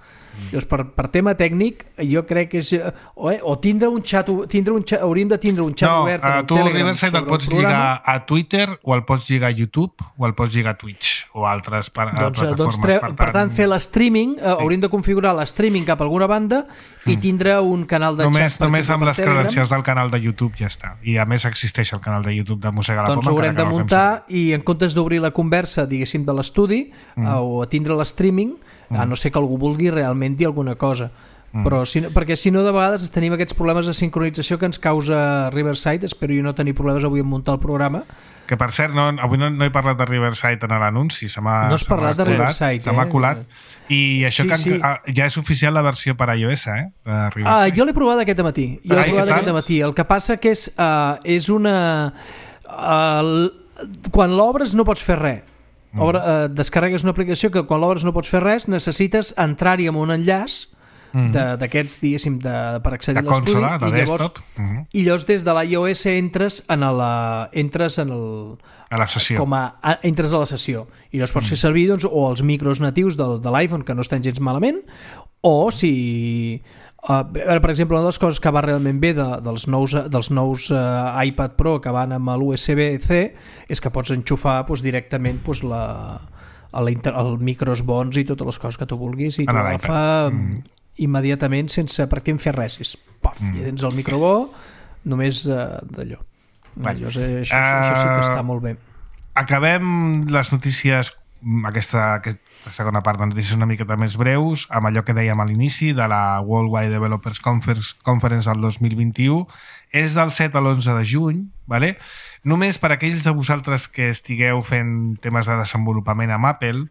Llavors, per tema tècnic, jo crec que és... O tindre un xat... Hauríem de tindre un xat obert en el tu Telegram. Riverside el pots lligar a Twitter o el pots lligar a YouTube o el pots lligar a Twitch o altres plataformes. Per tant, fer l'streaming, hauríem de configurar l'streaming cap a alguna banda i tindre un canal de xat. Només amb les credencials del canal de YouTube ja està. I a més existeix el canal de YouTube de Mossega la Poma. Doncs ho haurem de muntar i en comptes d'obrir la conversa, diguéssim, de l'estudi o tindre l'streaming, a no ser que algú vulgui realment dir alguna cosa. Però perquè si no, de vegades tenim aquests problemes de sincronització que ens causa Riverside. Espero jo no tenir problemes avui en muntar el programa. Que per cert, avui no he parlat de Riverside en l'anunci. No has parlat de Riverside. Se m'ha colat. I això ja és oficial la versió per iOS, de Riverside. Jo l'he provat aquest matí. El que passa que és una... Quan l'obres no pots fer res. Descarregues una aplicació que quan l'obres no pots fer res, necessites entrar-hi amb un enllaç d'aquests, diguéssim, per accedir a l'estudi, de desktop. I llavors des de l'iOS entres a la sessió. Entres a la sessió i llavors pots fer servir o els micros natius de l'iPhone, que no estan gens malament, o si... per exemple, una de les coses que va realment bé dels nous iPad Pro que van amb l'USB-C és que pots enxufar directament el micros bons i totes les coses que tu vulguis i t'ho agafa immediatament sense pràcticament fer res. I tens el micro bo només d'allò. Això sí que està molt bé. Acabem les notícies, aquesta segona part de notícies una miqueta més breus, amb allò que dèiem a l'inici de la Worldwide Developers Conference del 2021. És del 7 a l'11 de juny, ¿vale? Només per aquells de vosaltres que estigueu fent temes de desenvolupament amb Apple,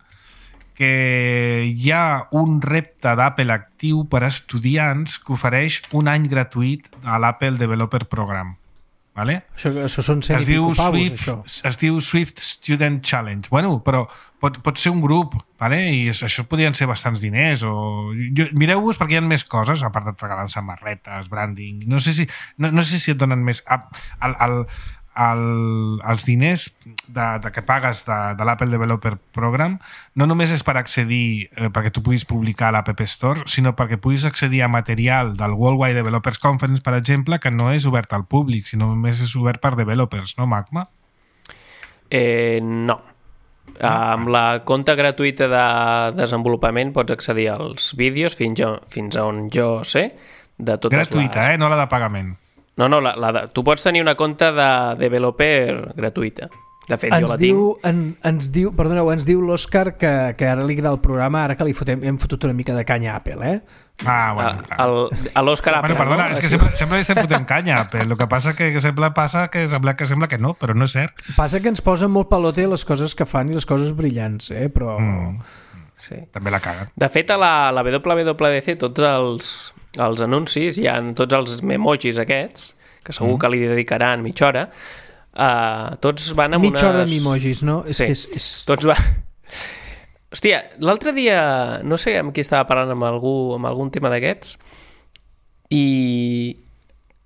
que hi ha un repte d'Apple actiu per a estudiants que ofereix un any gratuït a l'Apple Developer Program. Vale? Això són 100 i pico pavos, això. Es diu Swift Student Challenge. Bueno, però pot ser un grup, vale? I això podrien ser bastants diners. Mireu-vos perquè hi ha més coses, a part de regalar samarretes, branding. No sé si et donen més... Els diners que pagues de l'Apple Developer Program no només és per accedir perquè tu puguis publicar a l'App Store, sinó perquè puguis accedir a material del Worldwide Developers Conference, per exemple, que no és obert al públic, sinó només és obert per developers, no, Magma? No. Amb la compte gratuïta de desenvolupament pots accedir als vídeos fins a on jo sé de totes gratuïta, no la de pagament. No, tu pots tenir una compte de developer gratuïta. De fet, jo la tinc. Ens diu l'Òscar que ara li agrada el programa, ara que hem fotut una mica de canya a Apple, Bueno. A l'Òscar Apple. Perdona, és que sempre li estem fotent canya a Apple. El que passa que sembla que no, però no és cert. Passa que ens posen molt pelote les coses que fan i les coses brillants, però... Sí. També la caguen. De fet, a la WWDC tots els anuncis, hi ha tots els memojis aquests, que segur que li dedicaran mitja hora, tots van amb mitja hora de memojis, no? Sí, tots van... Hòstia, l'altre dia, no sé amb qui estava parlant amb algun tema d'aquests, i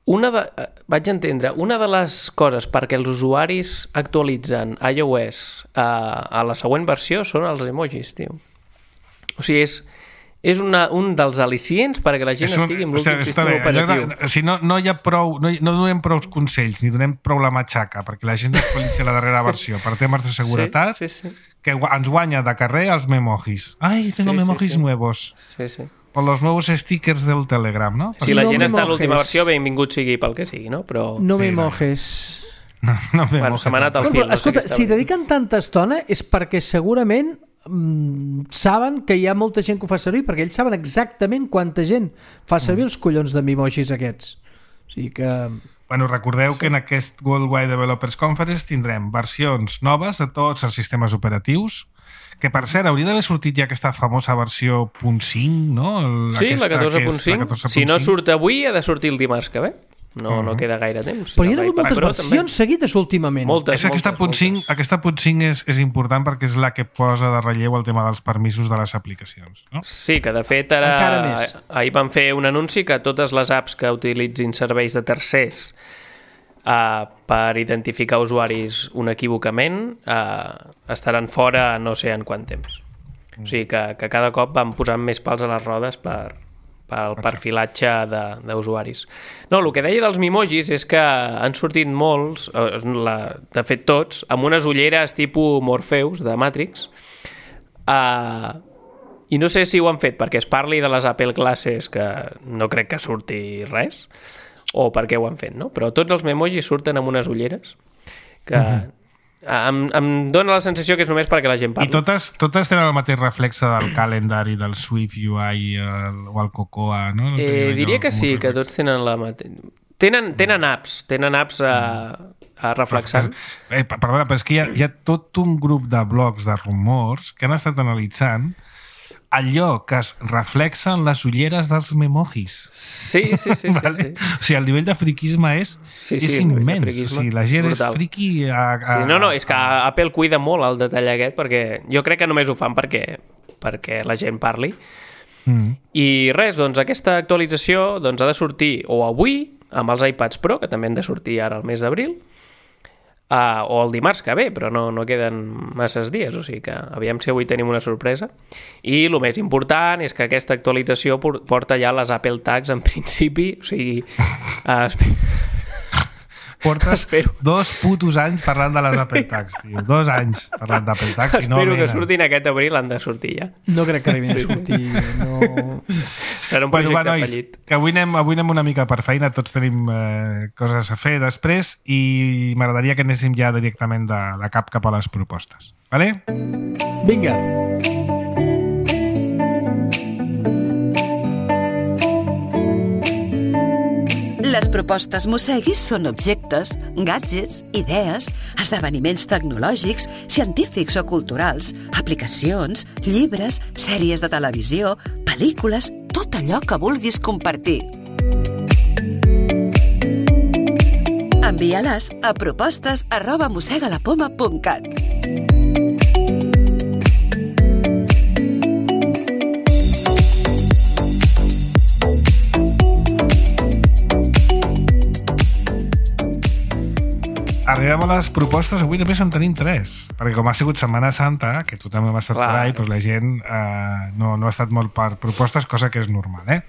vaig entendre, una de les coses perquè els usuaris actualitzen iOS a la següent versió són els emojis, tio. O sigui, és un dels al·licients perquè la gent estigui amb l'últim sistema operatiu. Si no hi ha prou, no donem prou consells ni donem prou la matxaca perquè la gent actualitzi la darrera versió per temes de seguretat, sí. Que ens guanya de carrer els memojis. Ai, tengo memojis nuevos. Sí. O los nuevos stickers del Telegram, no? Si la gent està a l'última versió, benvingut sigui pel que sigui, no? Però... No me mojes. No me mojes. Se m'ha anat al fil. Escolta, si dediquen tanta estona és perquè segurament saben que hi ha molta gent que ho fa servir, perquè ells saben exactament quanta gent fa servir els collons de memojis aquests. O sigui que... Bueno, recordeu que en aquest Worldwide Developers Conference tindrem versions noves de tots els sistemes operatius, que per cert hauria d'haver sortit ja aquesta famosa versió .5, no? Sí, la 14.5. Si no surt avui, ha de sortir el dimarts que ve. No queda gaire temps. Però hi ha hagut moltes versions seguides últimament. Moltes. Aquesta .5 és important perquè és la que posa de relleu el tema dels permisos de les aplicacions, no? Sí, que de fet ahir van fer un anunci que totes les apps que utilitzin serveis de tercers per identificar usuaris inequívocament estaran fora no sé en quant temps. O sigui que cada cop van posant més pals a les rodes pel perfilatge d'usuaris. No, el que deia dels memojis és que han sortit molts, de fet tots, amb unes ulleres tipus Morpheus de Matrix, i no sé si ho han fet perquè es parli de les Apple Classes, que no crec que surti res, o per què ho han fet, no? Però tots els memojis surten amb unes ulleres que... Em dóna la sensació que és només perquè la gent parli. I totes tenen el mateix reflexe del calendari, del Swift UI o el Cocoa, no? Diria que sí, que tots tenen la mateixa... Tenen apps reflexant. Perdona, però és que hi ha tot un grup de blogs de rumors que han estat analitzant allò que es reflexa en les ulleres dels memojis. Sí. Vale? Sí. O sigui, el nivell de friquisme és immens. O sigui, la gent és friqui... és que Apple cuida molt el detall aquest, perquè jo crec que només ho fan perquè la gent parli. I res, doncs aquesta actualització ha de sortir o avui, amb els iPads Pro, que també han de sortir ara al mes d'abril, o el dimarts que ve, però no queden masses dies, o sigui que aviam si avui tenim una sorpresa. I el més important és que aquesta actualització porta ja les Apple Tags en principi, o sigui portes 2 putos anys parlant de les Apple Tags, tio. 2 anys parlant d'Apple Tags. Espero que surtin aquest abril, han de sortir ja. No crec que arribin a sortir. No... Serà un projecte fallit. Que avui anem una mica per feina, tots tenim coses a fer després i m'agradaria que anéssim ja directament de cap a les propostes. Vale? Vinga. Les propostes Mosseguis són objectes, gadgets, idees, esdeveniments tecnològics, científics o culturals, aplicacions, llibres, sèries de televisió, pel·lícules, tot allò que vulguis compartir. Envia-les a propostes@mossegalapoma.cat. Arribem a les propostes, avui només en tenim 3, perquè com ha sigut Setmana Santa, que tu també m'ha estat per ahí, doncs la gent no ha estat molt per propostes, cosa que és normal, eh?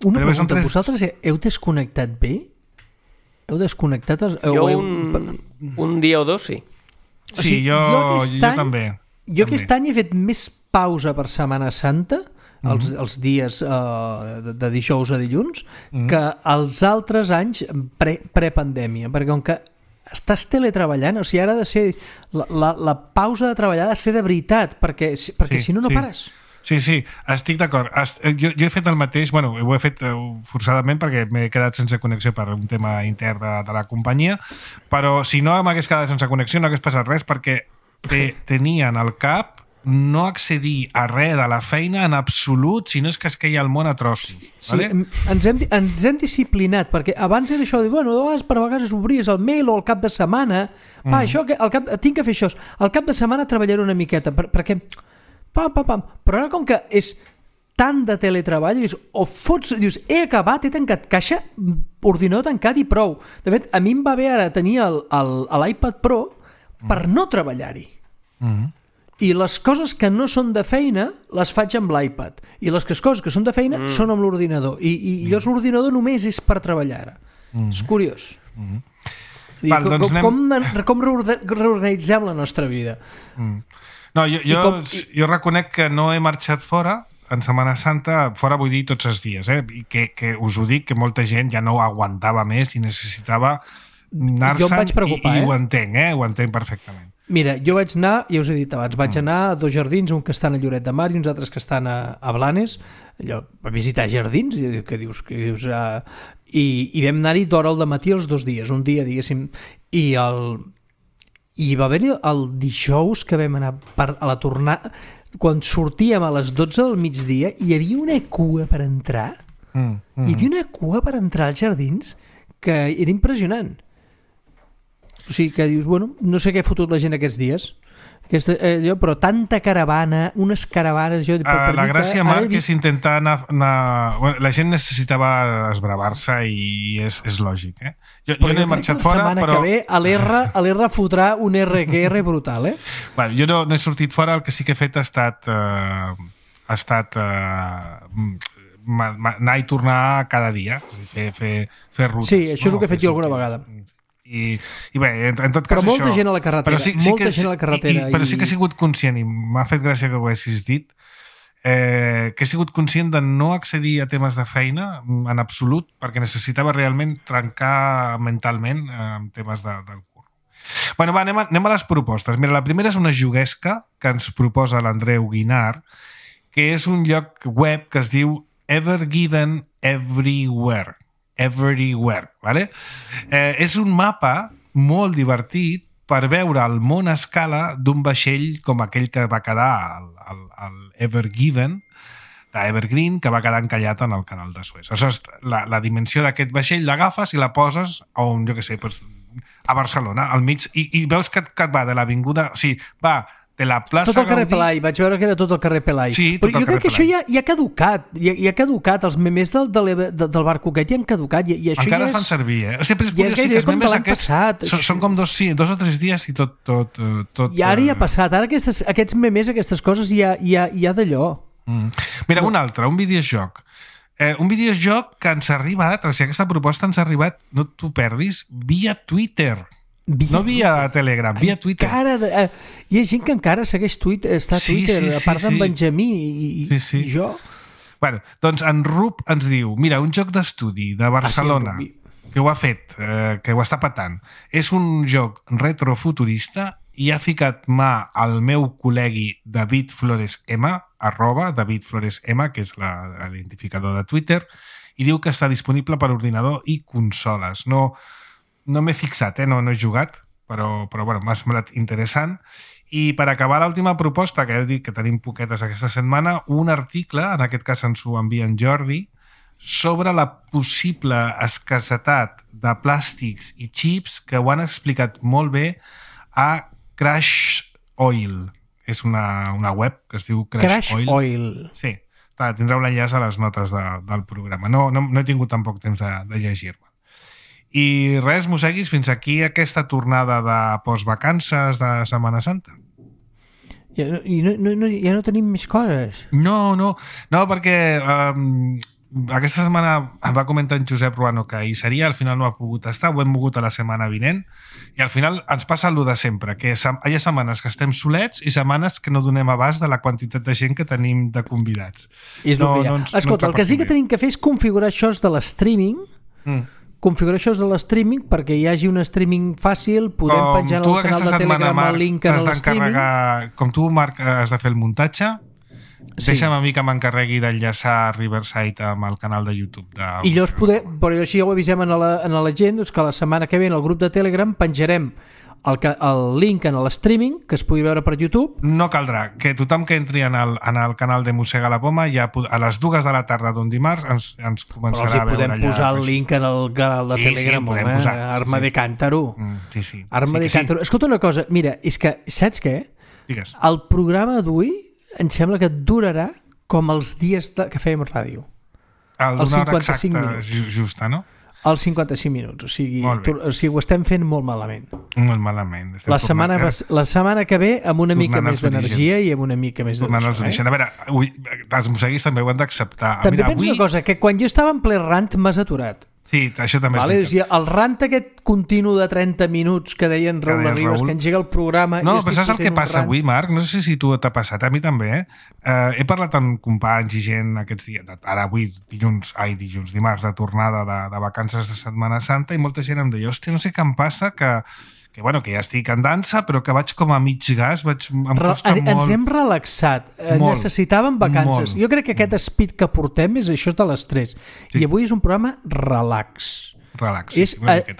Una pregunta, vosaltres heu desconnectat bé? Heu desconnectat? Jo un dia o dos, sí. Sí, jo també. Jo aquest any he fet més pausa per Setmana Santa, els dies de dijous a dilluns, que els altres anys prepandèmia, perquè com que estàs teletreballant, o sigui, ara ha de ser la pausa de treballar ha de ser de veritat, perquè si no, no pares. Sí, estic d'acord. Jo he fet el mateix, bueno, ho he fet forçadament perquè m'he quedat sense connexió per un tema intern de la companyia, però si no m'hagués quedat sense connexió no hagués passat res perquè tenien al cap no accedir a res de la feina en absolut, si no és que es queia el món a trossos. Sí, vale? ens hem disciplinat, perquè abans era això de, bueno, per vegades obries el mail o al cap de setmana, això, tinc que fer això, al cap de setmana treballaré una miqueta, perquè pam, però ara com que és tant de teletreball, dius, he acabat, he tancat caixa, ordinador tancat i prou. De fet, a mi em va bé ara tenir l'iPad Pro per no treballar-hi. I les coses que no són de feina les faig amb l'iPad. I les coses que són de feina són amb l'ordinador. I llavors l'ordinador només és per treballar ara. És curiós. Com reorganitzem la nostra vida? No, jo reconec que no he marxat fora en Setmana Santa, fora vull dir tots els dies, i que us ho dic, que molta gent ja no ho aguantava més i necessitava anar-se'n, i ho entenc perfectament. Mira, jo vaig anar, ja us he dit abans, vaig anar a 2 jardins, un que estan a Lloret de Mar i uns altres que estan a Blanes, allò, a visitar jardins, que dius i vam anar-hi d'hora al dematí els 2 dies, un dia, diguéssim, i va haver-hi el dijous que vam anar a la tornada, quan sortíem a les 12 del migdia, hi havia una cua per entrar, hi havia una cua per entrar als jardins que era impressionant. O sigui que dius, bueno, no sé què ha fotut la gent aquests dies, però tanta caravana, unes caravanes... La gràcia, Marc, és intentar anar... La gent necessitava esbravar-se i és lògic, Jo no he marxat fora, però... que ve a l'R fotrà un RQR brutal, Bueno, jo no he sortit fora, el que sí que he fet ha estat anar i tornar cada dia, fer rutes. Sí, això és el que he fet jo alguna vegada. I bé, en tot cas però molta gent a la carretera, gent a la carretera. Però sí que he sigut conscient, i m'ha fet gràcia que ho haguessis dit, que he sigut conscient de no accedir a temes de feina en absolut, perquè necessitava realment trencar mentalment amb temes del curro. Bueno, va, anem a les propostes. Mira, la primera és una juguesca que ens proposa l'Andreu Guinar, que és un lloc web que es diu Ever Given Everywhere, vale? És un mapa molt divertit per veure el món a escala d'un vaixell com aquell que va quedar al Ever Given d'Evergreen, que va quedar encallat en el canal de Suez. Aleshores, la dimensió d'aquest vaixell l'agafes i la poses on, jo què sé, a Barcelona, al mig, i veus que et va de l'avinguda, o sigui, va de la plaça tot el carrer Pelai, vaig veure que era tot el carrer Pelai. Sí, però jo crec que això ja ha caducat, ja ha caducat, els memes del barco aquest ja han caducat, i això encara ja es fan servir, Sempre ja és gairebé com de l'any passat. Són com 2 o 3 dies i tot... I ara ja ha passat, ara aquests memes, aquestes coses ja d'allò. Mira, un altre, un videojoc. Un videojoc que ens ha arribat, o sigui, aquesta proposta ens ha arribat, no t'ho perdis, via Twitter. No via Telegram, via Twitter. Hi ha gent que encara segueix Twitter, està a Twitter, a part d'en Benjamí i jo. Bueno, doncs en Rup ens diu, mira, un joc d'estudi de Barcelona que ho ha fet, que ho està patant. És un joc retrofuturista i ha ficat mà al meu col·legui David Flores M, @David Flores M, que és l'identificador de Twitter, i diu que està disponible per ordinador i consoles. No m'he fixat, no he jugat, però bueno, m'ha semblat interessant. I per acabar l'última proposta, que ja heu dit que tenim poquetes aquesta setmana, un article, en aquest cas ens ho envia en Jordi, sobre la possible escassetat de plàstics i xips que ho han explicat molt bé a Crash Oil. És una web que es diu Crash Oil. Sí, tindreu l'enllaç a les notes del programa. No he tingut tampoc temps de llegir-me. I res, Moseguis, fins aquí aquesta tornada de postvacances de Setmana Santa. Ja no tenim més coses. No, perquè aquesta setmana va comentar en Josep Ruano que hi seria, al final no ha pogut estar, ho hem mogut a la setmana vinent, i al final ens passa el de sempre, que hi ha setmanes que estem solets i setmanes que no donem abast de la quantitat de gent que tenim de convidats. Escolta, el que sí que tenim que fer és configurar això de l'streaming, configurar això de l'streaming perquè hi hagi un streaming fàcil, podem penjar en el canal de Telegram el link en l'streaming. Com tu, Marc, has de fer el muntatge, deixa'm a mi que m'encarregui d'enllaçar Riverside amb el canal de YouTube. I llavors però així ja ho avisem a la gent, doncs que la setmana que ve en el grup de Telegram penjarem el link en l'streaming que es pugui veure per YouTube. No caldrà, que tothom que entri en el canal de Mossega la Poma ja a les 2 de la tarda d'un dimarts ens començarà a veure allà. Però podem posar el link en el canal de Telegram, podem posar. Arma de Cántaro. Sí. Arma de Cántaro. Escolta una cosa, mira, és que, saps què? Digues. El programa d'avui em sembla que durarà com els dies que fèiem ràdio. D'una hora exacta, justa, no? Els 55 minuts, o sigui, ho estem fent molt malament. Molt malament. La setmana que ve amb una mica més d'energia i amb una mica més d'energia. A veure, els mosseguis també ho han d'acceptar. També penso una cosa, que quan jo estava en ple rant m'has aturat. Sí, això també és veritat. El rant aquest continu de 30 minuts que deien Raül Arribas, que engega el programa... No, però saps el que passa avui, Marc? No sé si tu t'ha passat, a mi també. He parlat amb companys i gent aquests dies, ara avui, dimarts de tornada de vacances de Setmana Santa, i molta gent em deia, hòstia, no sé què em passa, que ja estic en dansa, però que vaig com a mig gas, em costa molt... Ens hem relaxat, necessitàvem vacances. Jo crec que aquest speed que portem és això de l'estrès. I avui és un programa relax. És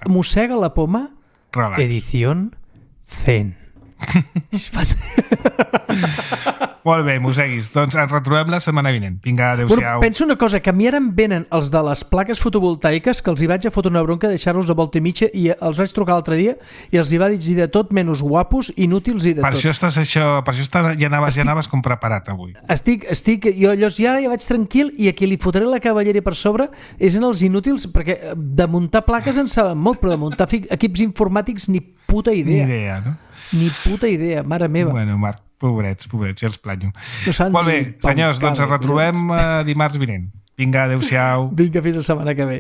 Mossega la Poma, edició zen. Molt bé, mosseguis. Doncs ens retrobem la setmana vinent. Vinga, adéu-siau. Penso una cosa, que a mi ara em venen els de les plaques fotovoltaiques que els hi vaig a fotre una bronca de deixar-los de volta i mitja i els vaig trucar l'altre dia i els hi va dir de tot menys guapos, inútils i de tot. Per això ja anaves com preparat avui. Jo llavors ja vaig tranquil i a qui li fotré la cavalleria per sobre és en els inútils, perquè de muntar plaques en saben molt, però de muntar equips informàtics ni puta idea. Ni idea, no? Ni puta idea, mare meva. Bueno, Marc, pobrets, ja els planyo. Molt bé, senyors, doncs ens retrobem dimarts vinent. Vinga, adéu-siau. Vinga, fins la setmana que ve.